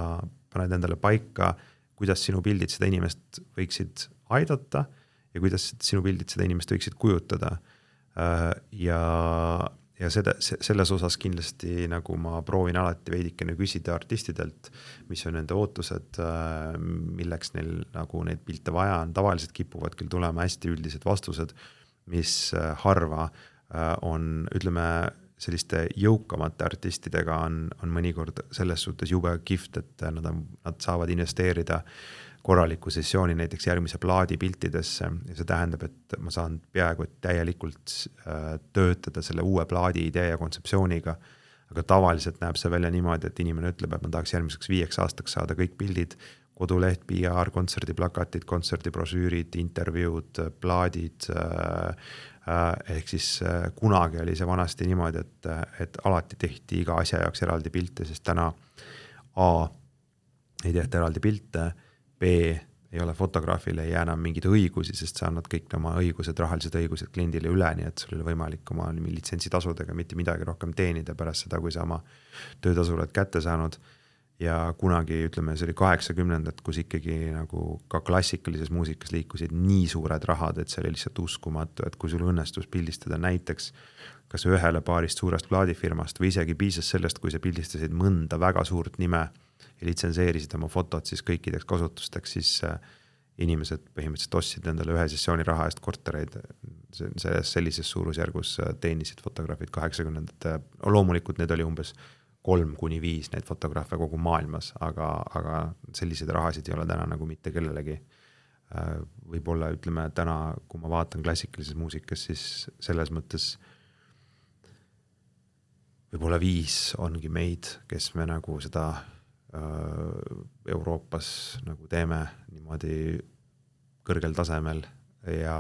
paned endale paika, kuidas sinu pildid seda inimest võiksid aidata ja kuidas sinu pildid seda inimest võiksid kujutada. Ja, ja seda, selles osas kindlasti nagu ma proovin alati veidikene küsida artistidelt, mis on nende ootused, milleks neil nagu neid pilte vaja on. Tavaliselt kipuvad küll tulema hästi üldised vastused, mis harva on, ütleme, selliste jõukamate artistidega on, on mõnikord selles suhtes jube kihvt, et nad, on, nad saavad investeerida korraliku sessiooni näiteks järgmise plaadi piltidesse ja see tähendab, et ma saan peaaegu et täielikult töötada selle uue plaadi idee ja kontseptsiooniga, aga tavaliselt näeb see välja niimoodi, et inimene ütleb, et ma tahaks järgmiseks viieks aastaks saada kõik pildid, koduleht, P R, kontserdiplakatid, kontserdibrosüürid, intervjuud, plaadid, ehk siis kunagi oli see vanasti niimoodi, et, et alati tehti iga asja jaoks eraldi pilte, sest täna A ei tehta eraldi pilte, B ei ole fotograafile, ei jää enam mingid õigusi, sest sa annad kõik oma õigused, rahalised õigused kliendile üle, nii et sul oli võimalik oma litsentsitasudega mitte midagi rohkem teenida pärast seda, kui sa oma töötasu oled kätte saanud. Ja kunagi, ütleme, see oli kaheksakümnendad, kus ikkagi nagu ka klassikalises muusikas liikusid nii suured rahad, et see oli lihtsalt uskumatu, et kui sul õnnestus pildistada näiteks kas ühele paarist suurest plaadifirmast või isegi piisas sellest, kui sa pildistasid mõnda väga suurt nime ja litsenseerisid oma fotot siis kõikideks kasutusteks, siis inimesed põhimõtteliselt ostsid endale ühe sessiooni raha eest kortereid. Selles sellises suurusjärgus teenisid fotograafid kaheksakümnendate. Loomulikult need oli umbes kolm kuni viis neid fotograafe kogu maailmas, aga, aga selliseid rahasid ei ole täna nagu mitte kellelegi. Võib-olla ütleme täna, kui ma vaatan klassikalises muusikas, siis selles mõttes võib-olla viis ongi meid, kes me nagu seda Euroopas nagu teeme niimoodi kõrgel tasemel ja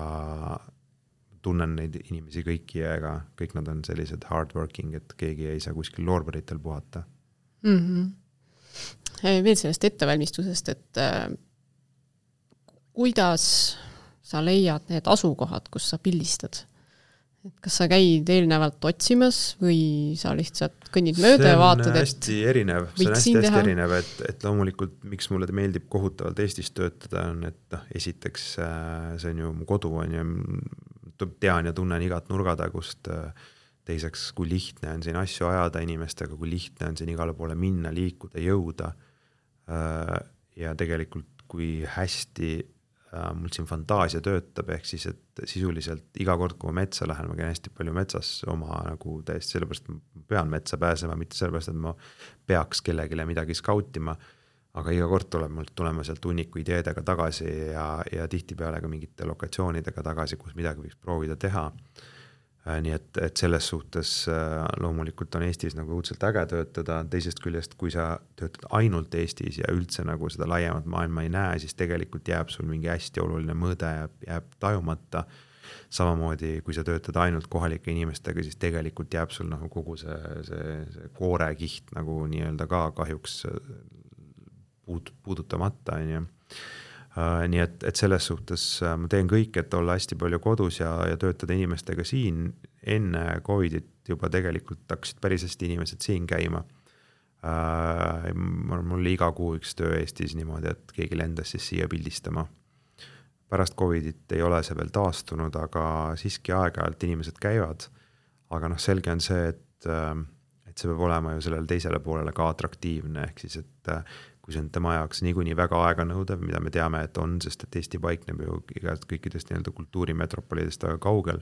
tunnen neid inimesi kõiki ja ega kõik nad on sellised hardworking, et keegi ei saa kuskil loorberitel puhata. Mm-hmm. Veel sellest ettevalmistusest, et äh, kuidas sa leiad need asukohad, kus sa pildistad? Et kas sa käid eelnevalt otsimas või sa lihtsalt kõnnid mööda ja vaatad, et hästi erinev. See on hästi, hästi erinev, et, et loomulikult miks mulle meeldib kohutavalt Eestis töötada on, et noh, esiteks see on ju mu kodu on ja tean ja tunnen igat nurgatagust. Teiseks, kui lihtne on siin asju ajada inimestega, kui lihtne on siin igale poole minna, liikuda, jõuda. Ja tegelikult kui hästi mul siin fantaasia töötab, ehk siis, et sisuliselt iga kord, kui ma metsa lähen, ma käin hästi palju metsas oma nagu täiesti sellepärast, et ma pean metsa pääsema, mitte sellepärast, et ma peaks kellegile midagi skautima, aga iga kord tuleb mul tulema sealt hunniku ideedega tagasi ja, ja tihtipeale ka mingite lokatsioonidega tagasi, kus midagi võiks proovida teha. Nii et, et selles suhtes loomulikult on Eestis nagu õudselt äge töötada, teisest küljest, kui sa töötad ainult Eestis ja üldse nagu seda laiemat maailma ei näe, siis tegelikult jääb sul mingi hästi oluline mõõde ja jääb tajumata. samamoodi, kui sa töötad ainult kohalike inimestega, siis tegelikult jääb sul nagu kogu see, see, see koorekiht nagu nii-öelda ka kahjuks puud, puudutamata, on ju. Uh, nii et, et selles suhtes uh, ma teen kõik, et olla hästi palju kodus ja, ja töötada inimestega siin. Enne Covidit juba tegelikult hakkasid päris hästi inimesed siin käima. Uh, mul oli iga kuu üks töö Eestis niimoodi, et keegi lendas siis siia pildistama. Pärast Covidit ei ole see veel taastunud, aga siiski aeg-ajalt inimesed käivad. Aga noh, selge on see, et, et see peab olema ju sellele teisele poolele ka atraktiivne, ehk siis, et kui see on tema jaoks niikuinii väga aega nõudev, mida me teame, et on, sest et Eesti paikneb ju igast kõikidest nii-öelda kultuurimetropolidest väga kaugel.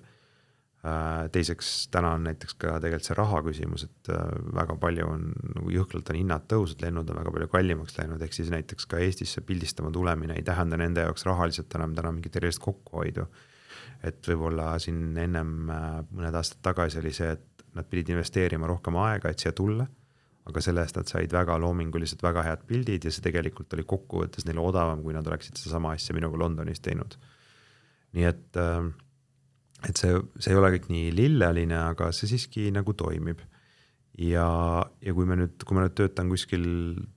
Teiseks, täna on näiteks ka tegelikult see raha küsimus, et väga palju on, nagu jõhklalt on hinnad tõusud, lennud on väga palju kallimaks läinud, ehk siis näiteks ka Eestisse pildistama tulemine ei tähenda nende jaoks rahaliselt enam täna mingi tervist kokkuhoidu. Et võib-olla siin ennem mõned aastad tagasi oli see, et nad pidid investeerima rohkem aega, et siia tulla, aga selle eest nad said väga loominguliselt väga head pildid ja see tegelikult oli kokkuvõttes neile odavam, kui nad oleksid seda sama asja minuga Londonis teinud. Nii et, et see, see ei ole kõik nii lilleline, aga see siiski nagu toimib. Ja, ja kui me nüüd, kui me nüüd töötan kuskil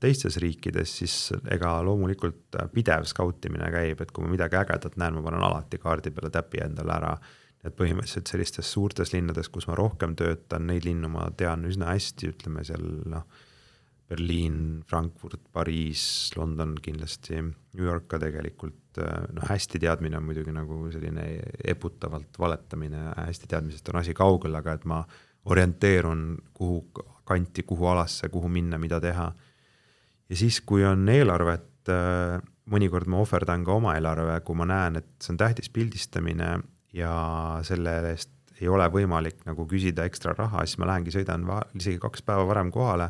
teistes riikides, siis ega loomulikult pidev skautimine käib, et kui ma midagi ägedat näen, ma panen alati kaardi peale täpi endale ära. Et põhimõtteliselt sellistes suurtes linnades, kus ma rohkem töötan, neid linnu ma tean üsna hästi, ütleme seal no, Berliin, Frankfurt, Pariis, London kindlasti, New York ka tegelikult. No, hästi teadmine on muidugi nagu selline eputavalt valetamine, hästi teadmisest on asi kaugel, aga et ma orienteerun kuhu kanti, kuhu alasse, kuhu minna, mida teha. Ja siis, kui on eelarvet, mõnikord ma ohverdan ka oma eelarve, kui ma näen, et see on tähtis pildistamine ja selle eest ei ole võimalik nagu küsida ekstra raha, siis ma lähengi sõidan va- isegi kaks päeva varem kohale,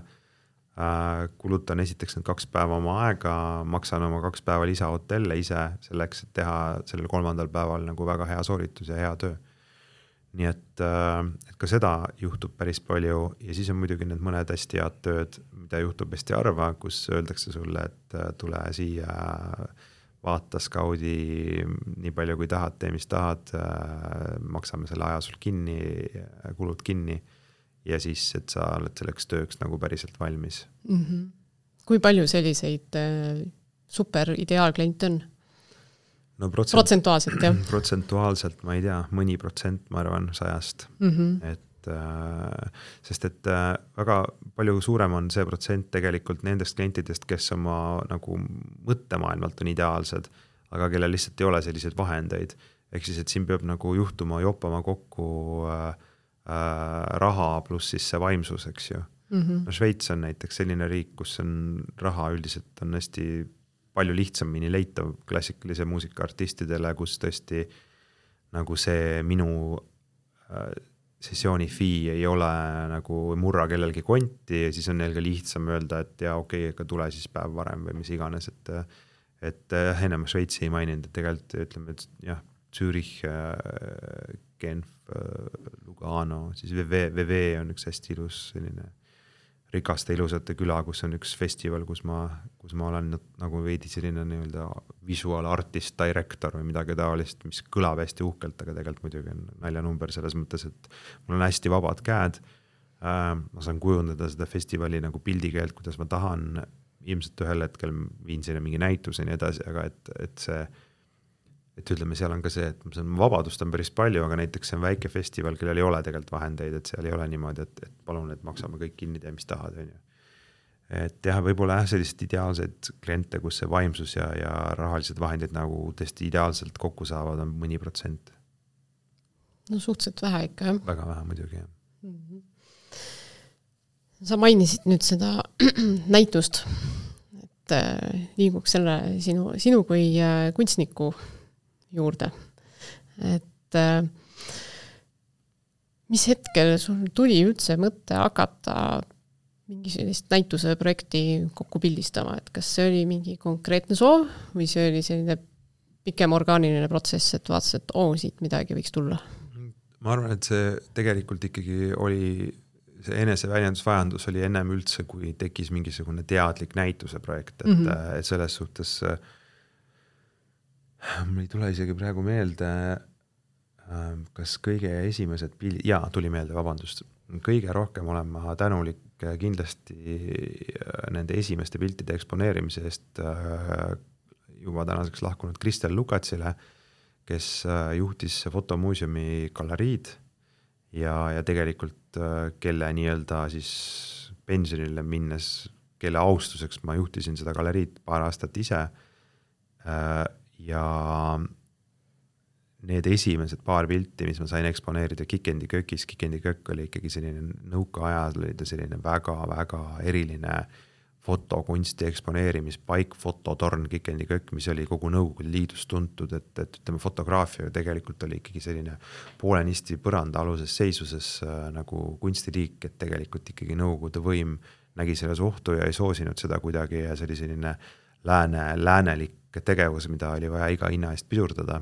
äh, kulutan esiteks need kaks päeva oma aega, maksan oma kaks päeva lisa hotelle ise selleks, et teha sellel kolmandal päeval nagu väga hea sooritus ja hea töö. Nii et, äh, et ka seda juhtub päris palju ja siis on muidugi need mõned hästi head tööd, mida juhtub hästi harva, kus öeldakse sulle, et äh, tule siia vaata skaudi nii palju kui tahad, tee mis tahad, maksame selle aja sul kinni, kulud kinni ja siis, et sa oled selleks tööks nagu päriselt valmis. Mm-hmm. Kui palju selliseid super ideaalkliente on? No protsent, protsentuaalselt, jah? Protsentuaalselt, ma ei tea, mõni protsent, ma arvan, sajast. Mm-hmm. Et sest et väga palju suurem on see protsent tegelikult nendest klientidest, kes oma nagu mõttemaailmalt on ideaalsed, aga kellel lihtsalt ei ole selliseid vahendeid. Ehk siis, et siin peab nagu juhtuma, joppama kokku äh, äh, raha pluss siis see vaimsus, eks ju. Mm-hmm. No Šveits on näiteks selline riik, kus on raha üldiselt on hästi palju lihtsamini leitav klassikalise muusikaartistidele, kus tõesti nagu see minu äh, sessiooni fee ei ole nagu murra kellelgi konti ja siis on neil ka lihtsam öelda, et ja okei, okay, tule siis päev varem või mis iganes, et, et ennem Šveitsi ei maininud, et tegelikult ütleme, et jah, Zürich, Genf, Lugano, siis V V on üks hästi ilus selline rikaste ilusate küla, kus on üks festival, kus ma, kus ma olen nagu veidi selline nii-öelda visual artist director või midagi taolist, mis kõlab hästi uhkelt, aga tegelikult muidugi on naljanumber selles mõttes, et mul on hästi vabad käed. Ma saan kujundada seda festivali nagu pildikeelt, kuidas ma tahan. Ilmselt ühel hetkel viin sinna mingi näituse ja nii edasi, aga et, et see et ütleme, seal on ka see, et vabadust on päris palju, aga näiteks see on väike festival, kellel ei ole tegelikult vahendeid, et seal ei ole niimoodi, et, et palun, et maksame kõik kinni, tee mis tahad. Et jah, võib-olla jah, sellised ideaalsed kliente, kus see vaimsus ja, ja rahalised vahendid nagu tõesti ideaalselt kokku saavad, on mõni protsent. No suhteliselt vähe ikka, jah? Väga vähe muidugi, jah. Mm-hmm. Sa mainisid nüüd seda näitust, et liiguks selle sinu, sinu kui kunstniku juurde. Et mis hetkel sul tuli üldse mõte hakata mingi sellist näituse projekti kokku pildistama, et kas see oli mingi konkreetne soov või see oli selline pikem orgaaniline protsess, et vaatas, et oo, siit midagi võiks tulla? Ma arvan, et see tegelikult ikkagi oli, see eneseväljendusvajandus oli ennem üldse, kui tekkis mingisugune teadlik näituse projekt, et, mm-hmm. et selles suhtes mul ei tule isegi praegu meelde, kas kõige esimesed pildid, jaa, tuli meelde, vabandust, kõige rohkem olen ma tänulik kindlasti nende esimeste piltide eksponeerimise eest juba tänaseks lahkunud Kristel Lukatsile, kes juhtis fotomuuseumi galeriid ja, ja tegelikult kelle nii-öelda siis pensionile minnes, kelle austuseks ma juhtisin seda galeriid paar aastat ise ja need esimesed paar pilti, mis ma sain eksponeerida Kikendi kökis, Kikendi kökk oli ikkagi selline nõukaajal, oli ta selline väga-väga eriline fotokunsti eksponeerimispaik, fototorn Kikendi kökk, mis oli kogu Nõukogude Liidus tuntud, et, et ütleme, fotograafia tegelikult oli ikkagi selline poolenisti põranda aluses seisuses äh, nagu kunstiliik, et tegelikult ikkagi Nõukogude võim nägi selles ohtu ja ei soosinud seda kuidagi ja see oli selline lääne, läänelik tegevus, mida oli vaja iga hinna eest pidurdada.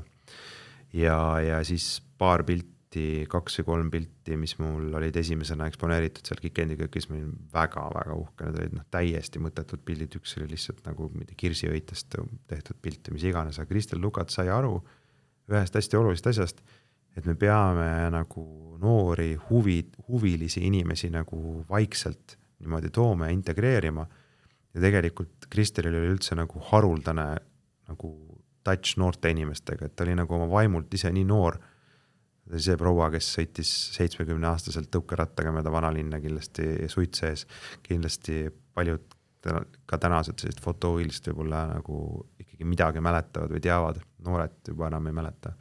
Ja, ja siis paar pilti, kaks või kolm pilti, mis mul olid esimesena eksponeeritud seal Kikendi kökis, ma olin väga-väga uhke, need olid noh, täiesti mõttetud pildid, üks oli lihtsalt nagu kirsiõitest tehtud pilt ja mis iganes, aga Kristel Lukats sai aru ühest hästi olulisest asjast, et me peame nagu noori huvi, huvilisi inimesi nagu vaikselt niimoodi tooma ja integreerima ja tegelikult Kristelil oli üldse nagu haruldane nagu touch noorte inimestega, et ta oli nagu oma vaimult ise nii noor. See proua, kes sõitis seitsmekümne aastaselt tõukerattaga mööda vanalinna kindlasti suit sees, kindlasti paljud ka tänased sellised fotohuvilised võib-olla nagu ikkagi midagi mäletavad või teavad, noored juba enam ei mäleta.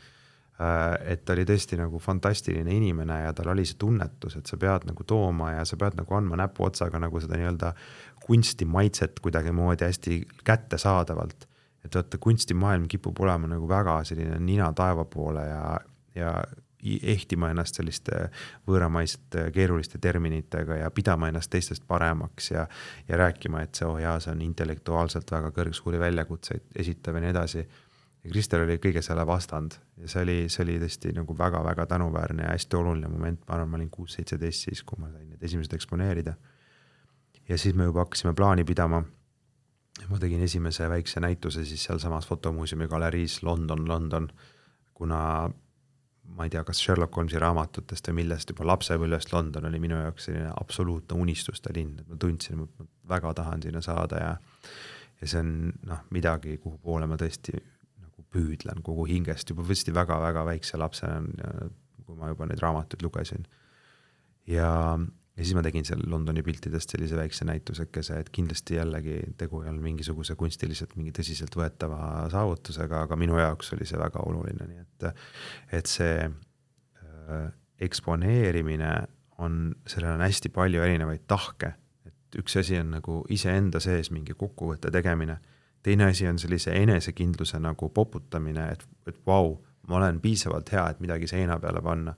Et ta oli tõesti nagu fantastiline inimene ja tal oli see tunnetus, et sa pead nagu tooma ja sa pead nagu andma näpu otsaga nagu seda nii-öelda kunstimaitset kuidagi moodi hästi kätte saadavalt. Et vaata, kunstimaailm kipub olema nagu väga selline nina taeva poole ja, ja ehtima ennast selliste võõramaisete keeruliste terminitega ja pidama ennast teistest paremaks ja, ja rääkima, et see, oh jaa, see on intellektuaalselt väga kõrgsuuri väljakutseid esitav ja nii edasi. Ja Kristel oli kõige selle vastand ja see oli, see oli tõesti nagu väga-väga tänuväärne ja hästi oluline moment. Ma arvan, ma olin kuus seitseteist siis, kui ma sain need esimesed eksponeerida. Ja siis me juba hakkasime plaani pidama. Ma tegin esimese väikse näituse siis seal samas fotomuuseumi galeriis London, London, kuna ma ei tea, kas Sherlock Holmesi raamatutest või millest juba lapsepõlvest London oli minu jaoks selline absoluutne unistuste linn, et ma tundsin, et ma väga tahan sinna saada ja, ja see on noh, midagi, kuhu poole ma tõesti nagu püüdlen kogu hingest juba võsti väga-väga väikse lapsena, kui ma juba neid raamatuid lugesin. Ja Ja siis ma tegin seal Londoni piltidest sellise väikse näitusekese, et kindlasti jällegi tegu ei olnud mingisuguse kunstiliselt mingi tõsiselt võetava saavutusega, aga minu jaoks oli see väga oluline, nii et, et see äh, eksponeerimine on, sellel on hästi palju erinevaid tahke, et üks asi on nagu iseenda sees mingi kokkuvõtte tegemine, teine asi on sellise enesekindluse nagu poputamine, et, et vau, ma olen piisavalt hea, et midagi seina peale panna.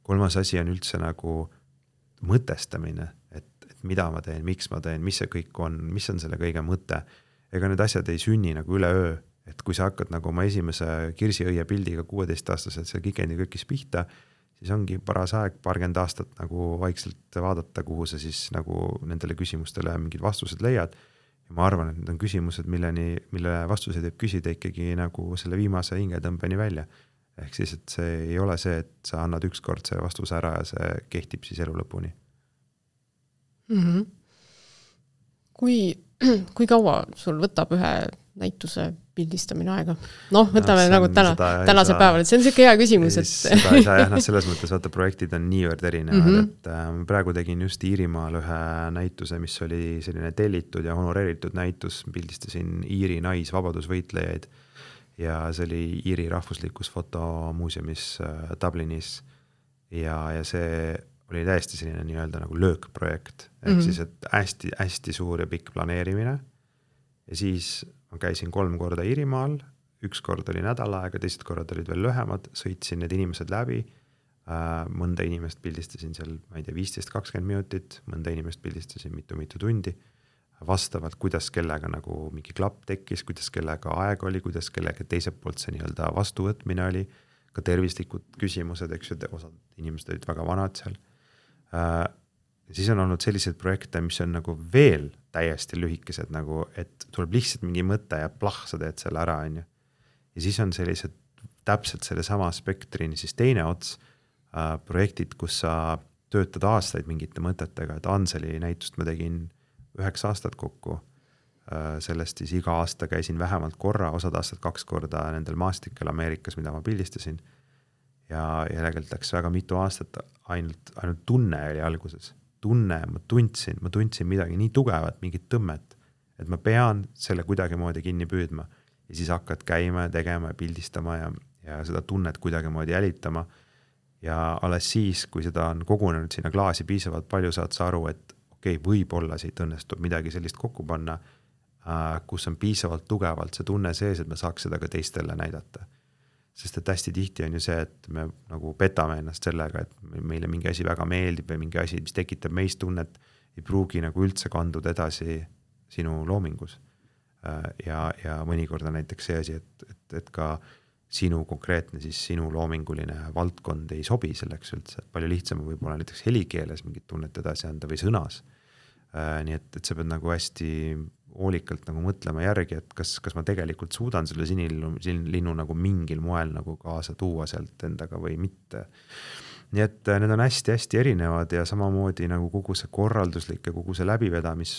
Kolmas asi on üldse nagu mõtestamine, et, et mida ma teen, miks ma teen, mis see kõik on, mis on selle kõige mõte. Ega need asjad ei sünni nagu üle öö, et kui sa hakkad nagu oma esimese kirsiõie pildiga kuueteist-aastaselt seal Kikendi kökis pihta, siis ongi paras aeg paarkümmend aastat nagu vaikselt vaadata, kuhu sa siis nagu nendele küsimustele mingid vastused leiad. Ja ma arvan, et need on küsimused, milleni, mille vastuseid võib küsida ikkagi nagu selle viimase hingetõmbeni välja. Ehk siis, et see ei ole see, et sa annad ükskord see vastus ära ja see kehtib siis elu lõpuni. Mm-hmm. Kui, kui kaua sul võtab ühe näituse pildistamine aega? Noh, võtame no, nagu täna, tänase saa, päeval, et see on selline hea küsimus. Et... seda ei saa jah, noh, selles mõttes vaata projektid on niivõrd erinevad, mm-hmm. et äh, praegu tegin just Iirimaal ühe näituse, mis oli selline tellitud ja honoreeritud näitus, pildistasin Iiri naisvabadusvõitlejaid ja see oli Iiri rahvuslikus fotomuuseumis äh, Dublinis ja, ja see oli täiesti selline nii-öelda nagu löökprojekt, ehk mm-hmm. siis, et hästi, hästi suur ja pikk planeerimine ja siis ma käisin kolm korda Iirimaal, üks kord oli nädal aega, teised korrad olid veel lühemad, sõitsin need inimesed läbi, äh, mõnda inimest pildistasin seal, ma ei tea, viisteist kakskümmend minutit, mõnda inimest pildistasin mitu-mitu tundi, vastavalt, kuidas kellega nagu mingi klapp tekkis, kuidas kellega aeg oli, kuidas kellega teiselt poolt see nii-öelda vastuvõtmine oli, ka tervislikud küsimused, eks ju, osad inimesed olid väga vanad seal. Ja siis on olnud sellised projekte, mis on nagu veel täiesti lühikesed, nagu, et tuleb lihtsalt mingi mõte ja plah, sa teed selle ära, on ju. Ja siis on sellised täpselt selle sama spektrini siis teine ots, äh, projektid, kus sa töötad aastaid mingite mõtetega, et Anseli näitust ma tegin üheksa aastat kokku, äh, sellest siis iga aasta käisin vähemalt korra, osad aastad kaks korda nendel maastikel Ameerikas, mida ma pildistasin ja järelikult läks väga mitu aastat, ainult, ainult tunne oli alguses, tunne, ma tundsin, ma tundsin midagi nii tugevat, mingit tõmmet, et ma pean selle kuidagi moodi kinni püüdma ja siis hakkad käima ja tegema ja pildistama ja, ja seda tunnet kuidagi moodi jälitama ja alles siis, kui seda on kogunenud sinna klaasi piisavalt palju, saad sa aru, et okei, okay, võib-olla siit õnnestub midagi sellist kokku panna, kus on piisavalt tugevalt see tunne sees, et me saaks seda ka teistele näidata. Sest et hästi tihti on ju see, et me nagu petame ennast sellega, et meile mingi asi väga meeldib või mingi asi, mis tekitab meist tunnet, ei pruugi nagu üldse kanduda edasi sinu loomingus. Ja, ja mõnikord on näiteks see asi, et, et, et ka sinu konkreetne, siis sinu loominguline valdkond ei sobi selleks üldse. Palju lihtsam võib olla näiteks helikeeles mingit tunnet edasi anda või sõnas. Nii et, et sa pead nagu hästi hoolikalt nagu mõtlema järgi, et kas, kas ma tegelikult suudan selle sinilinnu, sinilinnu nagu mingil moel nagu kaasa tuua sealt endaga või mitte. Nii et need on hästi-hästi erinevad ja samamoodi nagu kogu see korralduslik ja kogu see läbivedamis,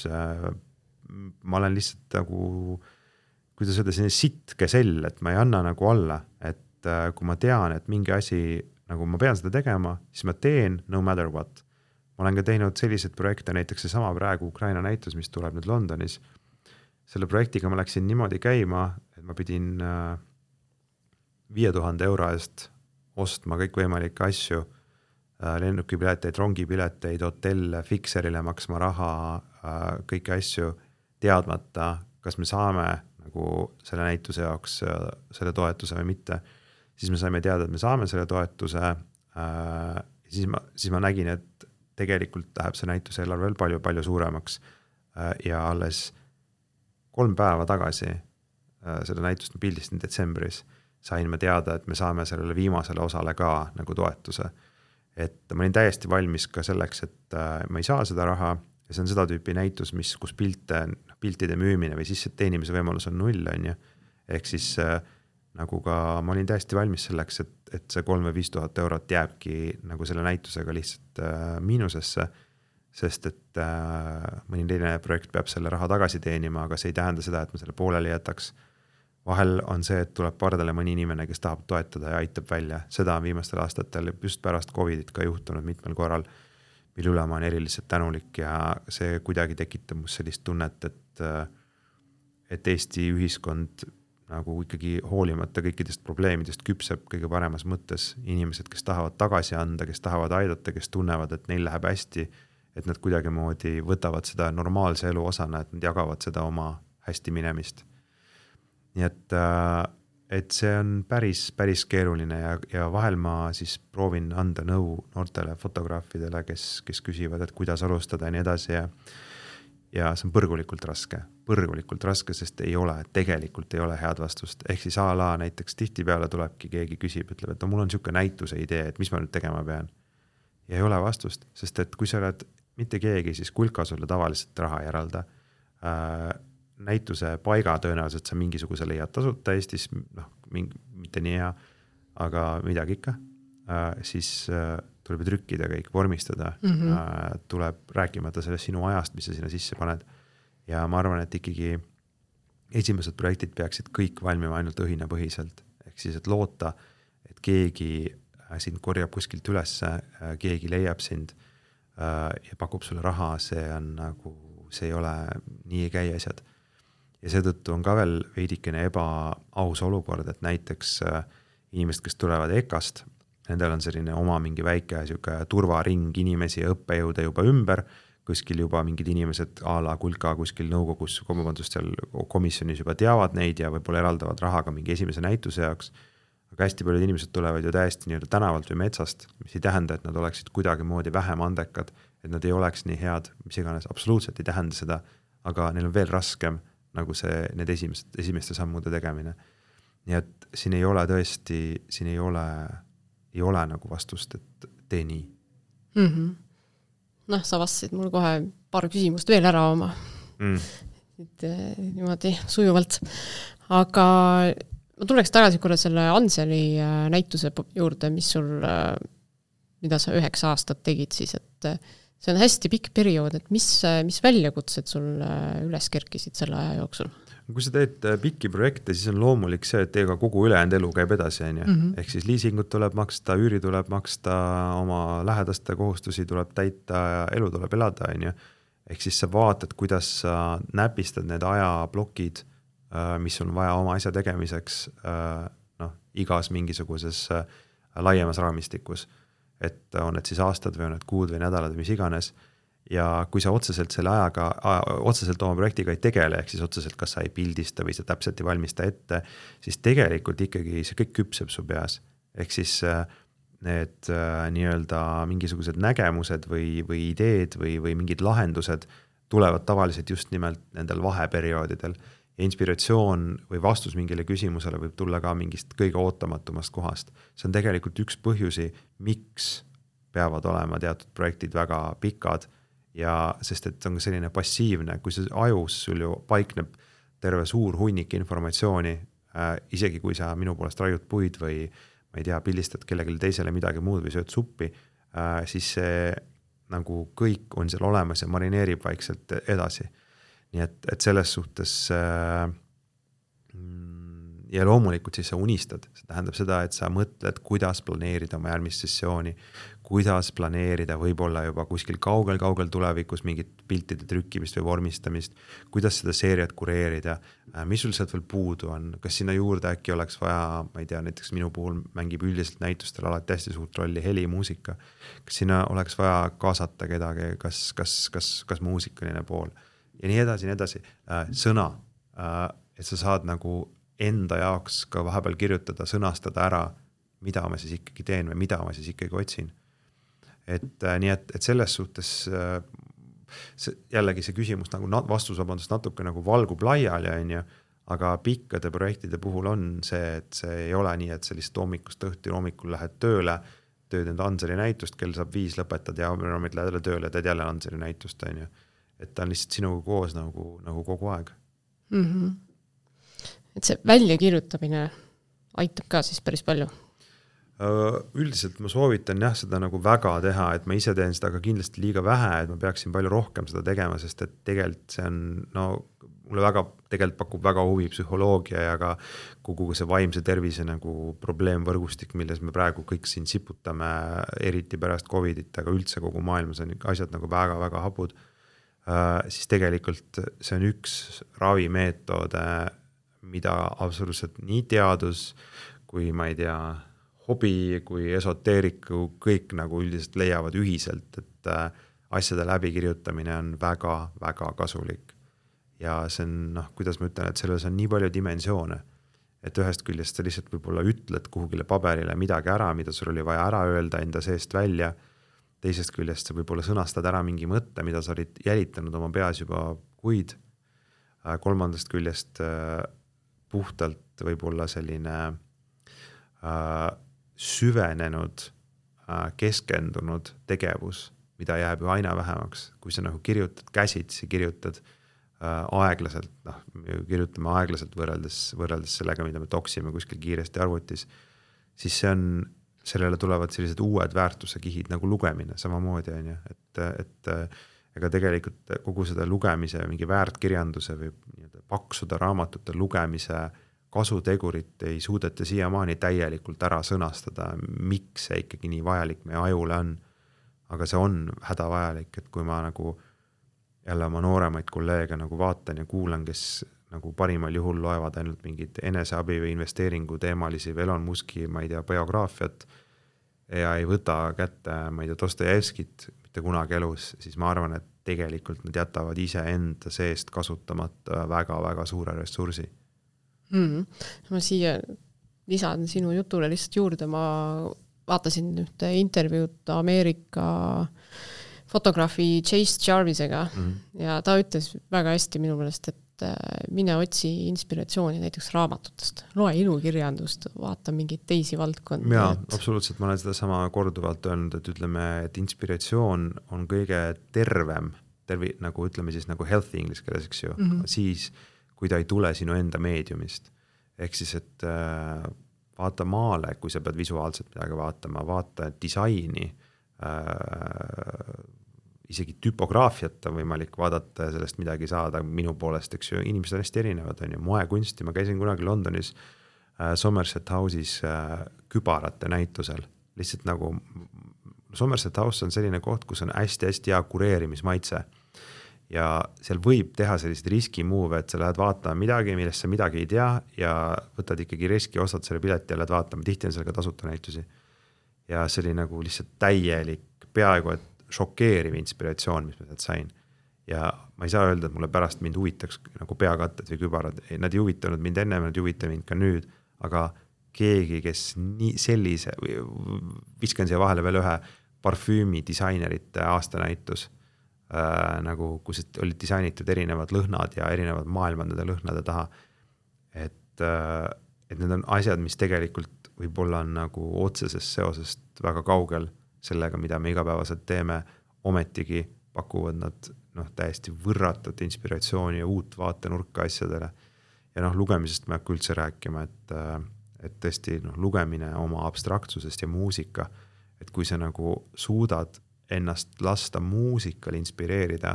ma olen lihtsalt nagu, kuidas öelda, selline sitke sell, et ma ei anna nagu alla, et kui ma tean, et mingi asi, nagu ma pean seda tegema, siis ma teen no matter what. Ma olen ka teinud sellised projekte, näiteks see sama praegu Ukraina näitus, mis tuleb nüüd Londonis. Selle projektiga ma läksin niimoodi käima, et ma pidin viie tuhande euro eest ostma kõik võimalikke asju, lennukipileteid, rongipileteid, hotelle, fikserile maksma raha, kõiki asju teadmata, kas me saame nagu selle näituse jaoks selle toetuse või mitte. Siis me saime teada, et me saame selle toetuse. Siis ma, siis ma nägin, et tegelikult läheb see näituse eelarve veel palju, palju suuremaks ja alles kolm päeva tagasi seda näitust ma pildistin detsembris, sain ma teada, et me saame sellele viimasele osale ka nagu toetuse. Et ma olin täiesti valmis ka selleks, et ma ei saa seda raha ja see on seda tüüpi näitus, mis, kus pilte, piltide müümine või siis teenimise võimalus on null, on ju. Ehk siis nagu ka ma olin täiesti valmis selleks, et, et see kolm või viis tuhat eurot jääbki nagu selle näitusega lihtsalt äh, miinusesse, sest et äh, mõni teine projekt peab selle raha tagasi teenima, aga see ei tähenda seda, et ma selle pooleli jätaks. Vahel on see, et tuleb pardale mõni inimene, kes tahab toetada ja aitab välja. Seda on viimastel aastatel just pärast Covidit ka juhtunud mitmel korral, mille üle ma olen eriliselt tänulik ja see kuidagi tekitab must sellist tunnet, et, et Eesti ühiskond nagu ikkagi hoolimata kõikidest probleemidest küpseb kõige paremas mõttes inimesed, kes tahavad tagasi anda, kes tahavad aidata, kes tunnevad, et neil läheb hästi, et nad kuidagi moodi võtavad seda normaalse elu osana, et nad jagavad seda oma hästi minemist. Nii et, et see on päris, päris keeruline ja, ja vahel ma siis proovin anda nõu noortele fotograafidele, kes, kes küsivad, et kuidas alustada ja nii edasi ja ja see on põrgulikult raske, põrgulikult raske, sest ei ole, tegelikult ei ole head vastust. Ehk siis a la näiteks tihtipeale tulebki keegi küsib, ütleb, et no, mul on niisugune näituse idee, et mis ma nüüd tegema pean. Ja ei ole vastust, sest et kui sa oled mitte keegi, siis kulka sulle tavaliselt raha ei eralda. Äh, näituse paiga tõenäoliselt sa mingisuguse leiad tasuta Eestis, noh, mingi, mitte nii hea, aga midagi ikka. Äh, siis äh, tuleb trükkida kõik, vormistada, mm-hmm. äh, tuleb rääkimata sellest sinu ajast, mis sa sinna sisse paned. Ja ma arvan, et ikkagi esimesed projektid peaksid kõik valmima ainult õhina põhiselt. Ehk siis, et loota, et keegi sind korjab kuskilt üles, äh, keegi leiab sind äh, ja pakub sulle raha, see on nagu, see ei ole nii ei käi asjad. Ja seetõttu on ka veel veidikene ebaaus olukord, et näiteks äh, inimesed, kes tulevad E K A-st, nendel on selline oma mingi väike siuke turvaring inimesi ja õppejõude juba ümber, kuskil juba mingid inimesed a la kulka kuskil nõukogus, komandust seal komisjonis juba teavad neid ja võib-olla eraldavad rahaga mingi esimese näituse jaoks. Aga hästi paljud inimesed tulevad ju täiesti nii tänavalt või metsast, mis ei tähenda, et nad oleksid kuidagi moodi vähem andekad, et nad ei oleks nii head, mis iganes, absoluutselt ei tähenda seda, aga neil on veel raskem nagu see, need esimesed, esimeste sammude tegemine. Nii et siin ei ole tõesti, siin ei ole ei ole nagu vastust, et tee nii. Mm-hmm. Noh, sa vastasid mul kohe paar küsimust veel ära oma. Mm. Et, niimoodi sujuvalt. Aga ma tuleks tagasi korra selle Anseli näituse juurde, mis sul, mida sa üheksa aastat tegid siis, et see on hästi pikk periood, et mis, mis väljakutsed sul üles kerkisid selle aja jooksul? Kui sa teed pikki projekte, siis on loomulik see, et ega kogu ülejäänud elu käib edasi. On ju? Mm-hmm. Ehk siis liisingut tuleb maksta, üüri tuleb maksta, oma lähedaste kohustusi tuleb täita ja elu tuleb elada. On ju? Ehk siis sa vaatad, kuidas sa näpistad need ajablokid, mis on vaja oma asja tegemiseks noh, igas mingisuguses laiemas raamistikus. Et on need siis aastad või on need kuud või nädalad või mis iganes. Ja kui sa otseselt selle ajaga, otseselt oma projektiga ei tegele, ehk siis otseselt kas sa ei pildista või sa täpselt ei valmista ette, siis tegelikult ikkagi see kõik küpseb su peas. Ehk siis need nii-öelda mingisugused nägemused või, või ideed või, või mingid lahendused tulevad tavaliselt just nimelt nendel vaheperioodidel. Ja inspiratsioon või vastus mingile küsimusele võib tulla ka mingist kõige ootamatumast kohast. See on tegelikult üks põhjusi, miks peavad olema teatud projektid väga pikad, ja sest et on selline passiivne, kui see ajus sul ju paikneb terve suur hunnik informatsiooni, äh, isegi kui sa minu poolest raiud puid või ma ei tea, pildistad kellelegi teisele midagi muud või sööd suppi, äh, siis see nagu kõik on seal olemas ja marineerib vaikselt edasi. Nii et, et selles suhtes äh, ja loomulikult siis sa unistad. See tähendab seda, et sa mõtled, kuidas planeerida oma järgmist sessiooni, kuidas planeerida võib-olla juba kuskil kaugel-kaugel tulevikus mingit piltide trükkimist või vormistamist, kuidas seda seeriat kureerida, mis sul sealt veel puudu on, kas sinna juurde äkki oleks vaja, ma ei tea, näiteks minu puhul mängib üldiselt näitustel alati hästi suurt rolli heli, muusika, kas sinna oleks vaja kaasata kedagi, kas, kas, kas, kas muusikaline pool ja nii edasi, nii edasi, sõna, et sa saad nagu enda jaoks ka vahepeal kirjutada, sõnastada ära, mida ma siis ikkagi teen või mida ma siis ikkagi otsin. Et nii, et, et selles suhtes see, jällegi see küsimus nagu vastus vabandust natuke nagu valgub laiali, on ju, aga pikkade projektide puhul on see, et see ei ole nii, et sa lihtsalt hommikust õhti hommikul lähed tööle, tööd enda Anseli näitust, kell saab viis lõpetad ja lähed jälle tööle, teed jälle Anseli näitust, on ju. Et ta on lihtsalt sinuga koos nagu, nagu kogu aeg. Mhm. Et see väljakirjutamine aitab ka siis päris palju? Üldiselt ma soovitan jah seda nagu väga teha, et ma ise teen seda ka kindlasti liiga vähe, et ma peaksin palju rohkem seda tegema, sest et tegelikult see on, no mulle väga, tegelikult pakub väga huvi psühholoogia ja ka kogu see vaimse tervise nagu probleemvõrgustik, milles me praegu kõik siin siputame, eriti pärast Covidit, aga üldse kogu maailmas on asjad nagu väga-väga hapud, siis tegelikult see on üks ravimeetode, mida absoluutselt nii teadus kui ma ei tea, hobi kui esoteeriku kõik nagu üldiselt leiavad ühiselt, et asjade läbikirjutamine on väga-väga kasulik. Ja see on, noh, kuidas ma ütlen, et selles on nii palju dimensioone, et ühest küljest sa lihtsalt võib-olla ütled kuhugile paberile midagi ära, mida sul oli vaja ära öelda enda seest välja, teisest küljest sa võib-olla sõnastad ära mingi mõtte, mida sa olid jälitanud oma peas juba kuid, kolmandast küljest puhtalt võib-olla selline äh, süvenenud, äh, keskendunud tegevus, mida jääb ju aina vähemaks. Kui sa nagu kirjutad käsitsi, kirjutad äh, aeglaselt, noh, kirjutame aeglaselt võrreldes, võrreldes sellega, mida me toksime kuskil kiiresti arvutis, siis see on, sellele tulevad sellised uued väärtuse kihid nagu lugemine samamoodi, on ju, et, et ega tegelikult kogu seda lugemise, mingi väärtkirjanduse või paksuda raamatute lugemise kasutegurit ei suudeta siiamaani täielikult ära sõnastada, miks see ikkagi nii vajalik meie ajule on. Aga see on hädavajalik, et kui ma nagu jälle oma nooremaid kolleege nagu vaatan ja kuulan, kes nagu parimal juhul loevad ainult mingid eneseabi või investeeringu teemalisi või Elon Muski, ma ei tea, biograafiat ja ei võta kätte, ma ei tea, Dostojevskit mitte kunagi elus, siis ma arvan, et tegelikult nad jätavad ise enda seest kasutamata väga-väga suure ressursi. Mm-hmm. Ma siia lisan sinu jutule lihtsalt juurde, ma vaatasin ühte intervjuud Ameerika fotograafi Chase Jarvisega mm-hmm. ja ta ütles väga hästi minu meelest, et mine otsi inspiratsiooni näiteks raamatutest, loe ilukirjandust, vaata mingeid teisi valdkondi. Jaa, et... absoluutselt, ma olen seda sama korduvalt öelnud, et ütleme, et inspiratsioon on kõige tervem, tervi, nagu ütleme siis nagu healthy inglise keeles, eks ju, mm-hmm. siis kui ta ei tule sinu enda meediumist. ehk siis, et äh, vaata maale, kui sa pead visuaalselt midagi vaatama, vaata disaini, äh, isegi tüpograafiat on võimalik vaadata ja sellest midagi saada minu poolest, eks ju, inimesed on hästi erinevad, on ju, moekunsti, ma käisin kunagi Londonis äh, Somerset House'is äh, kübarate näitusel, lihtsalt nagu Somerset House on selline koht, kus on hästi-hästi hea kureerimismaitse ja seal võib teha sellised riski move, et sa lähed vaatama midagi, millest sa midagi ei tea ja võtad ikkagi riski, ostad selle pileti ja lähed vaatama, tihti on seal ka tasuta näitusi. Ja see oli nagu lihtsalt täielik, peaaegu et šokeeriv inspiratsioon, mis ma sealt sain. Ja ma ei saa öelda, et mulle pärast mind huvitaks nagu peakatted või kübarad, nad ei huvitanud mind enne, nad ei huvita mind ka nüüd, aga keegi, kes nii sellise, viskan siia vahele veel ühe parfüümi disainerite aastanäitus, äh, nagu, kus olid disainitud erinevad lõhnad ja erinevad maailmad nende lõhnade taha, et, äh, et need on asjad, mis tegelikult võib-olla on nagu otsesest seosest väga kaugel sellega, mida me igapäevaselt teeme, ometigi pakuvad nad noh, täiesti võrratut inspiratsiooni ja uut vaatenurka asjadele. Ja noh, lugemisest ma ei hakka üldse rääkima, et, et tõesti noh, lugemine oma abstraktsusest ja muusika, et kui sa nagu suudad ennast lasta muusikal inspireerida,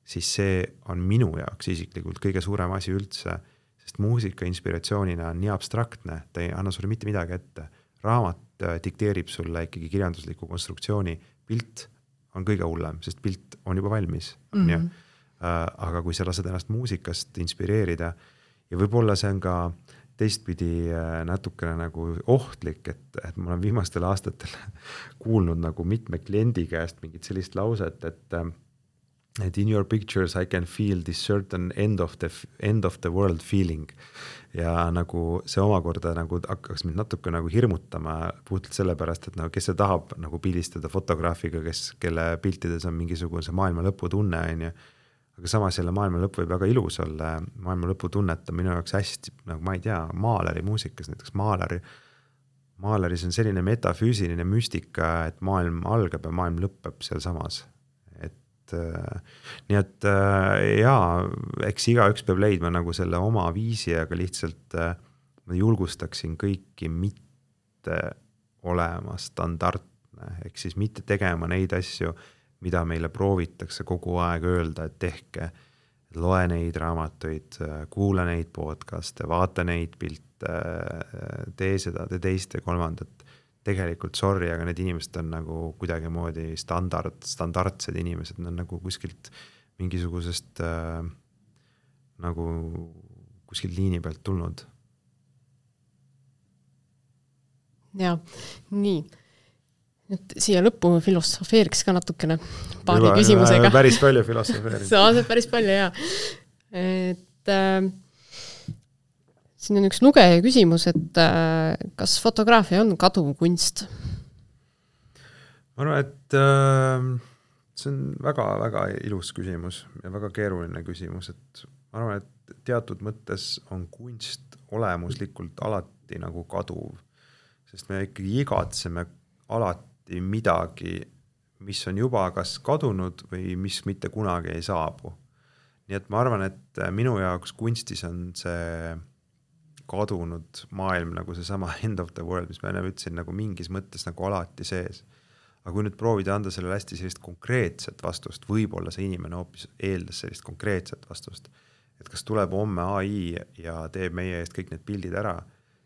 siis see on minu jaoks isiklikult kõige suurem asi üldse, sest muusika inspiratsioonina on nii abstraktne, ta ei anna sulle mitte midagi ette. Raamat dikteerib sulle ikkagi kirjandusliku konstruktsiooni, pilt on kõige hullem, sest pilt on juba valmis. Mm-hmm. Aga kui sa lased ennast muusikast inspireerida ja võib-olla see on ka teistpidi natukene nagu ohtlik, et, et ma olen viimastel aastatel kuulnud nagu mitme kliendi käest mingit sellist lauset, et, et in your pictures I can feel this certain end of the, end of the world feeling. Ja nagu see omakorda nagu hakkaks mind natuke nagu hirmutama puhtalt sellepärast, et nagu, kes see tahab nagu pildistada fotograafiga, kes, kelle piltides on mingisugune maailma lõpu tunne, on ju. Aga samas jälle maailma lõpp võib väga ilus olla, maailma lõpu tunnet on minu jaoks hästi, nagu ma ei tea, maaleri muusikas, näiteks maaleri, maaleris on selline metafüüsiline müstika, et maailm algab ja maailm lõpeb seal samas. Et äh, nii et äh, jaa, eks igaüks peab leidma nagu selle oma viisi, aga lihtsalt äh, ma julgustaksin kõiki mitte olema standardne, ehk siis mitte tegema neid asju, mida meile proovitakse kogu aeg öelda, et tehke, loe neid raamatuid, kuula neid podcaste, vaata neid pilte, tee seda, tee teist ja kolmandat. Tegelikult sorry, aga need inimesed on nagu kuidagi moodi standard, standardsed inimesed, nad on nagu kuskilt mingisugusest äh, nagu kuskilt liini pealt tulnud. Ja, nii. Nüüd siia lõppu filosofeeriks ka natukene paari Juba, küsimusega. Päris palju filosofeeriks. See on päris palju, jah. Et äh, siin on üks lugeja küsimus, et äh, kas fotograafia on kaduv kunst? Ma arvan, et äh, see on väga-väga ilus küsimus ja väga keeruline küsimus, et ma arvan, et teatud mõttes on kunst olemuslikult alati nagu kaduv, sest me ikkagi igatseme alati midagi, mis on juba kas kadunud või mis mitte kunagi ei saabu. Nii et ma arvan, et minu jaoks kunstis on see kadunud maailm nagu see sama end of the world, mis ma enne ütlesin, nagu mingis mõttes nagu alati sees. Aga kui nüüd proovida anda sellele hästi sellist konkreetset vastust, võib-olla see inimene hoopis eeldas sellist konkreetset vastust, et kas tuleb homme A I ja teeb meie eest kõik need pildid ära,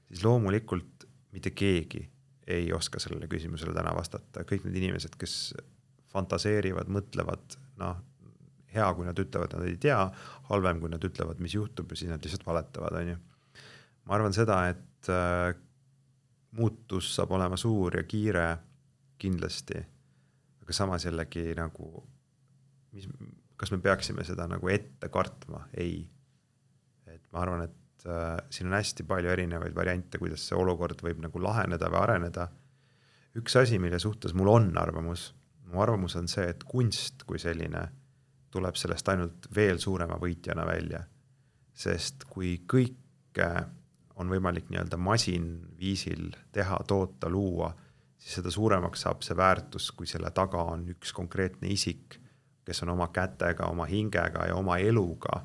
siis loomulikult mitte keegi ei oska sellele küsimusele täna vastata. Kõik need inimesed, kes fantaseerivad, mõtlevad, noh, hea, kui nad ütlevad, nad ei tea, halvem, kui nad ütlevad, mis juhtub, ja siis nad lihtsalt valetavad, on ju. Ma arvan seda, et äh, muutus saab olema suur ja kiire kindlasti, aga samas jällegi nagu, mis, kas me peaksime seda nagu ette kartma? Ei. Et ma arvan, et siin on hästi palju erinevaid variante, kuidas see olukord võib nagu laheneda või areneda. Üks asi, mille suhtes mul on arvamus, mu arvamus on see, et kunst kui selline tuleb sellest ainult veel suurema võitjana välja. Sest kui kõike on võimalik nii-öelda masinviisil teha, toota, luua, siis seda suuremaks saab see väärtus, kui selle taga on üks konkreetne isik, kes on oma kätega, oma hingega ja oma eluga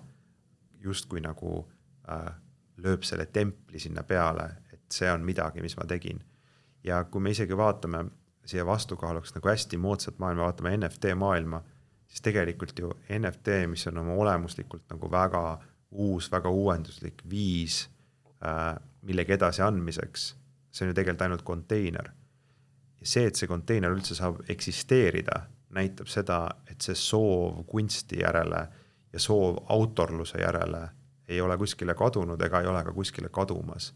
just kui nagu äh, lööb selle templi sinna peale, et see on midagi, mis ma tegin. Ja kui me isegi vaatame siia vastukaaluks nagu hästi moodsat maailma, vaatame N F T maailma, siis tegelikult ju N F T, mis on oma olemuslikult nagu väga uus, väga uuenduslik viis äh, millegi edasi andmiseks, see on ju tegelikult ainult konteiner. Ja see, et see konteiner üldse saab eksisteerida, näitab seda, et see soov kunsti järele ja soov autorluse järele ei ole kuskile kadunud ega ei ole ka kuskile kadumas.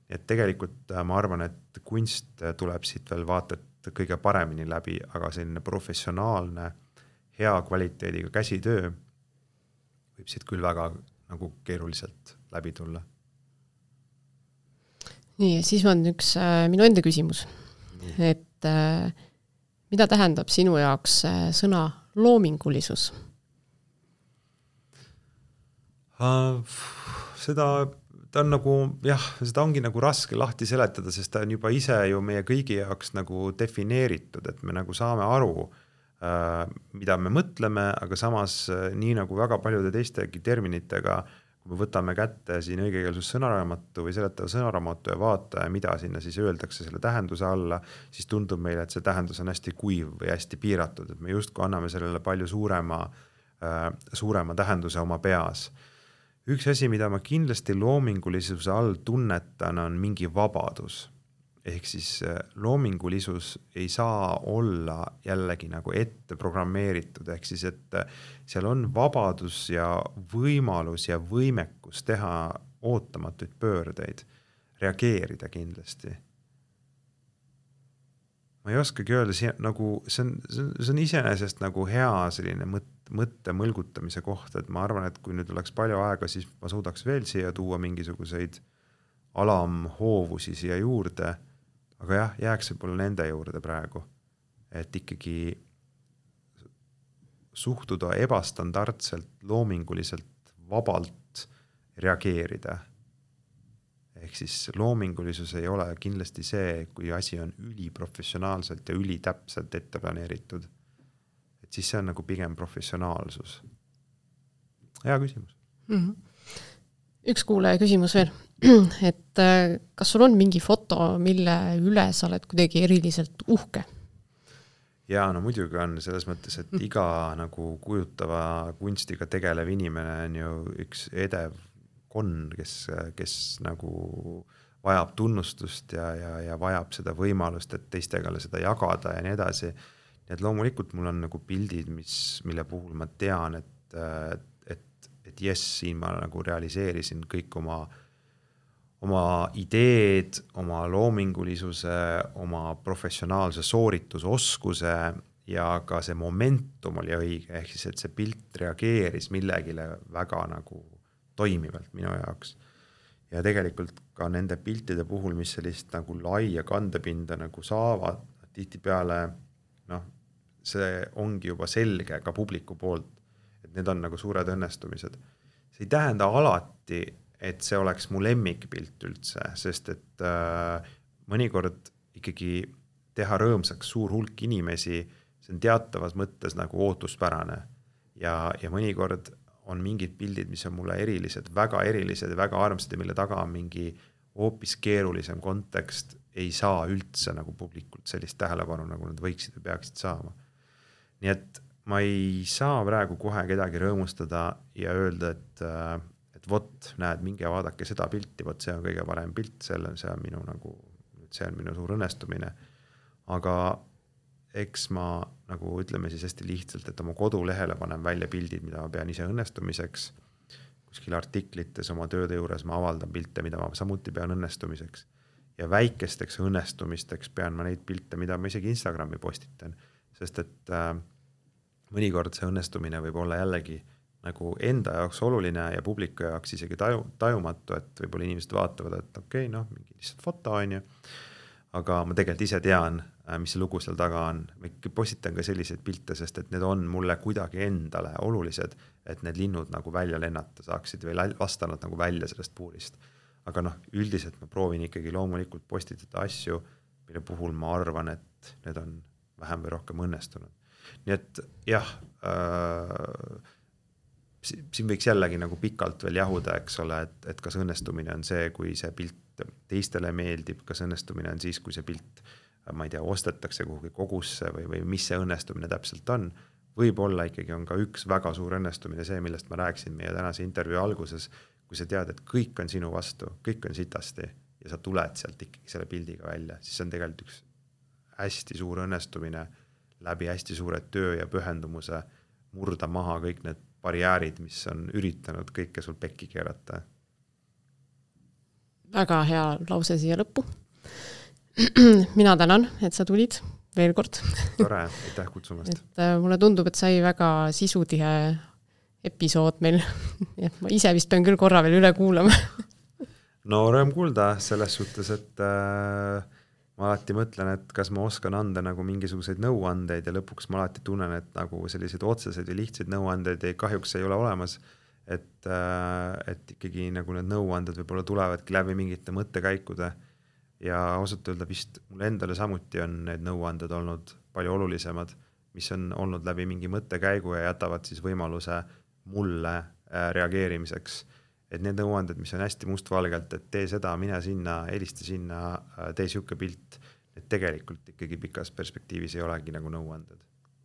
Nii et tegelikult ma arvan, et kunst tuleb siit veel vaata, et kõige paremini läbi, aga selline professionaalne, hea kvaliteediga käsitöö võib siit küll väga nagu keeruliselt läbi tulla. Nii, siis on üks äh, minu enda küsimus. Nii. Et äh, mida tähendab sinu jaoks äh, sõna loomingulisus? Uh, seda, ta on nagu, jah, seda ongi nagu raske lahti seletada, sest ta on juba ise ju meie kõigi jaoks nagu defineeritud, et me nagu saame aru, uh, mida me mõtleme, aga samas uh, nii nagu väga paljude teistegi terminitega, kui me võtame kätte siin õigekeelsus sõnaraamatu või seletava sõnaraamatu ja vaata, mida sinna siis öeldakse selle tähenduse alla, siis tundub meile, et see tähendus on hästi kuiv või hästi piiratud, et me justkui anname sellele palju suurema, uh, suurema tähenduse oma peas. Üks asi, mida ma kindlasti loomingulisuse all tunnetan, on mingi vabadus. Ehk siis loomingulisus ei saa olla jällegi nagu ette programmeeritud, ehk siis, et seal on vabadus ja võimalus ja võimekus teha ootamatuid pöördeid, reageerida kindlasti. Ma ei oskagi öelda, nagu, see, on, see on iseenesest nagu hea selline mõte, mõtte mõlgutamise koht, et ma arvan, et kui nüüd oleks palju aega, siis ma suudaks veel siia tuua mingisuguseid alamhoovusi siia juurde, aga jah, jääks võib-olla nende juurde praegu, et ikkagi suhtuda ebastandardselt, loominguliselt, vabalt reageerida. Ehk siis loomingulisus ei ole kindlasti see, kui asi on üliprofessionaalselt ja ülitäpselt ette planeeritud. Et siis see on nagu pigem professionaalsus. Hea küsimus. Mm-hmm. Üks kuulaja küsimus veel, et kas sul on mingi foto, mille üle sa oled kuidagi eriliselt uhke? Jaa, no muidugi on selles mõttes, et iga nagu kujutava kunstiga tegelev inimene on ju üks edev konn, kes, kes nagu vajab tunnustust ja, ja, ja vajab seda võimalust, et teistega seda jagada ja nii edasi. Nii et loomulikult mul on nagu pildid, mis, mille puhul ma tean, et, et, et jes, siin ma nagu realiseerisin kõik oma, oma ideed, oma loomingulisuse, oma professionaalse sooritusoskuse ja ka see momentum oli õige, ehk siis, et see pilt reageeris millegile väga nagu toimivalt minu jaoks. Ja tegelikult ka nende piltide puhul, mis sellist nagu laia kandepinda nagu saavad, tihti peale, noh, see ongi juba selge ka publiku poolt, et need on nagu suured õnnestumised. See ei tähenda alati, et see oleks mu lemmikpilt üldse, sest et äh, mõnikord ikkagi teha rõõmsaks suur hulk inimesi, see on teatavas mõttes nagu ootuspärane. Ja, ja mõnikord on mingid pildid, mis on mulle erilised, väga erilised ja väga armsad ja mille taga on mingi hoopis keerulisem kontekst, ei saa üldse nagu publikult sellist tähelepanu, nagu nad võiksid või peaksid saama. Nii et ma ei saa praegu kohe kedagi rõõmustada ja öelda, et, et vot, näed, minge vaadake seda pilti, vot see on kõige parem pilt, selle, see on minu nagu, see on minu suur õnnestumine. Aga eks ma nagu ütleme siis hästi lihtsalt, et oma kodulehele panen välja pildid, mida ma pean ise õnnestumiseks. Kuskil artiklites oma tööde juures ma avaldan pilte, mida ma samuti pean õnnestumiseks. Ja väikesteks õnnestumisteks pean ma neid pilte, mida ma isegi Instagrami postitan. Sest et äh, mõnikord see õnnestumine võib olla jällegi nagu enda jaoks oluline ja publiku jaoks isegi taju, tajumatu, et võib-olla inimesed vaatavad, et okei, okay, noh, mingi lihtsalt foto on ju. Aga ma tegelikult ise tean, mis see lugu seal taga on. Ma postitan ka selliseid pilte, sest et need on mulle kuidagi endale olulised, et need linnud nagu välja lennata saaksid või vastanud nagu välja sellest puurist. Aga noh, üldiselt ma proovin ikkagi loomulikult postitada asju, mille puhul ma arvan, et need on vähem või rohkem õnnestunud. Nii et jah, äh, siin võiks jällegi nagu pikalt veel jahuda, eks ole, et, et kas õnnestumine on see, kui see pilt teistele meeldib, kas õnnestumine on siis, kui see pilt, ma ei tea, ostetakse kuhugi kogusse või, või mis see õnnestumine täpselt on. Võib-olla ikkagi on ka üks väga suur õnnestumine see, millest ma rääkisin meie tänase intervjuu alguses, kui sa tead, et kõik on sinu vastu, kõik on sitasti ja sa tuled sealt ikkagi selle pildiga välja, siis on tegelikult üks hästi suur õnnestumine läbi hästi suure töö ja pühendumuse murda maha kõik need barjäärid, mis on üritanud kõike sul pekki keerata. Väga hea lause siia lõppu. Mina tänan, et sa tulid veel kord. Tore, aitäh kutsumast. Et mulle tundub, et sai väga sisutihe episood meil. Ja ma ise vist pean küll korra veel üle kuulama. No rõõm kuulda selles suhtes, et äh, ma alati mõtlen, et kas ma oskan anda nagu mingisuguseid nõuandeid ja lõpuks ma alati tunnen, et nagu selliseid otseseid ja lihtsaid nõuandeid ei, kahjuks ei ole olemas, et, et ikkagi nagu need nõuanded võib-olla tulevadki läbi mingite mõttekäikude ja ausalt öelda vist mul endale samuti on need nõuanded olnud palju olulisemad, mis on olnud läbi mingi mõttekäigu ja jätavad siis võimaluse mulle reageerimiseks. Et need nõuanded, mis on hästi mustvalgelt, et tee seda, mine sinna, helista sinna, tee siuke pilt, et tegelikult ikkagi pikas perspektiivis ei olegi nagu nõuanded.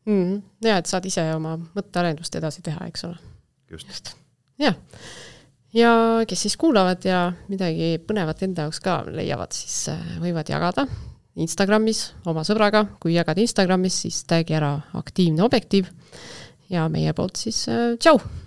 Mm, ja, et saad ise oma mõttearendust edasi teha, eks ole. Just. Ja. ja kes siis kuulavad ja midagi põnevat enda jaoks ka leiavad, siis võivad jagada Instagramis oma sõbraga. Kui jagad Instagramis, siis tagi ära aktiivne objektiiv ja meie poolt siis tšau!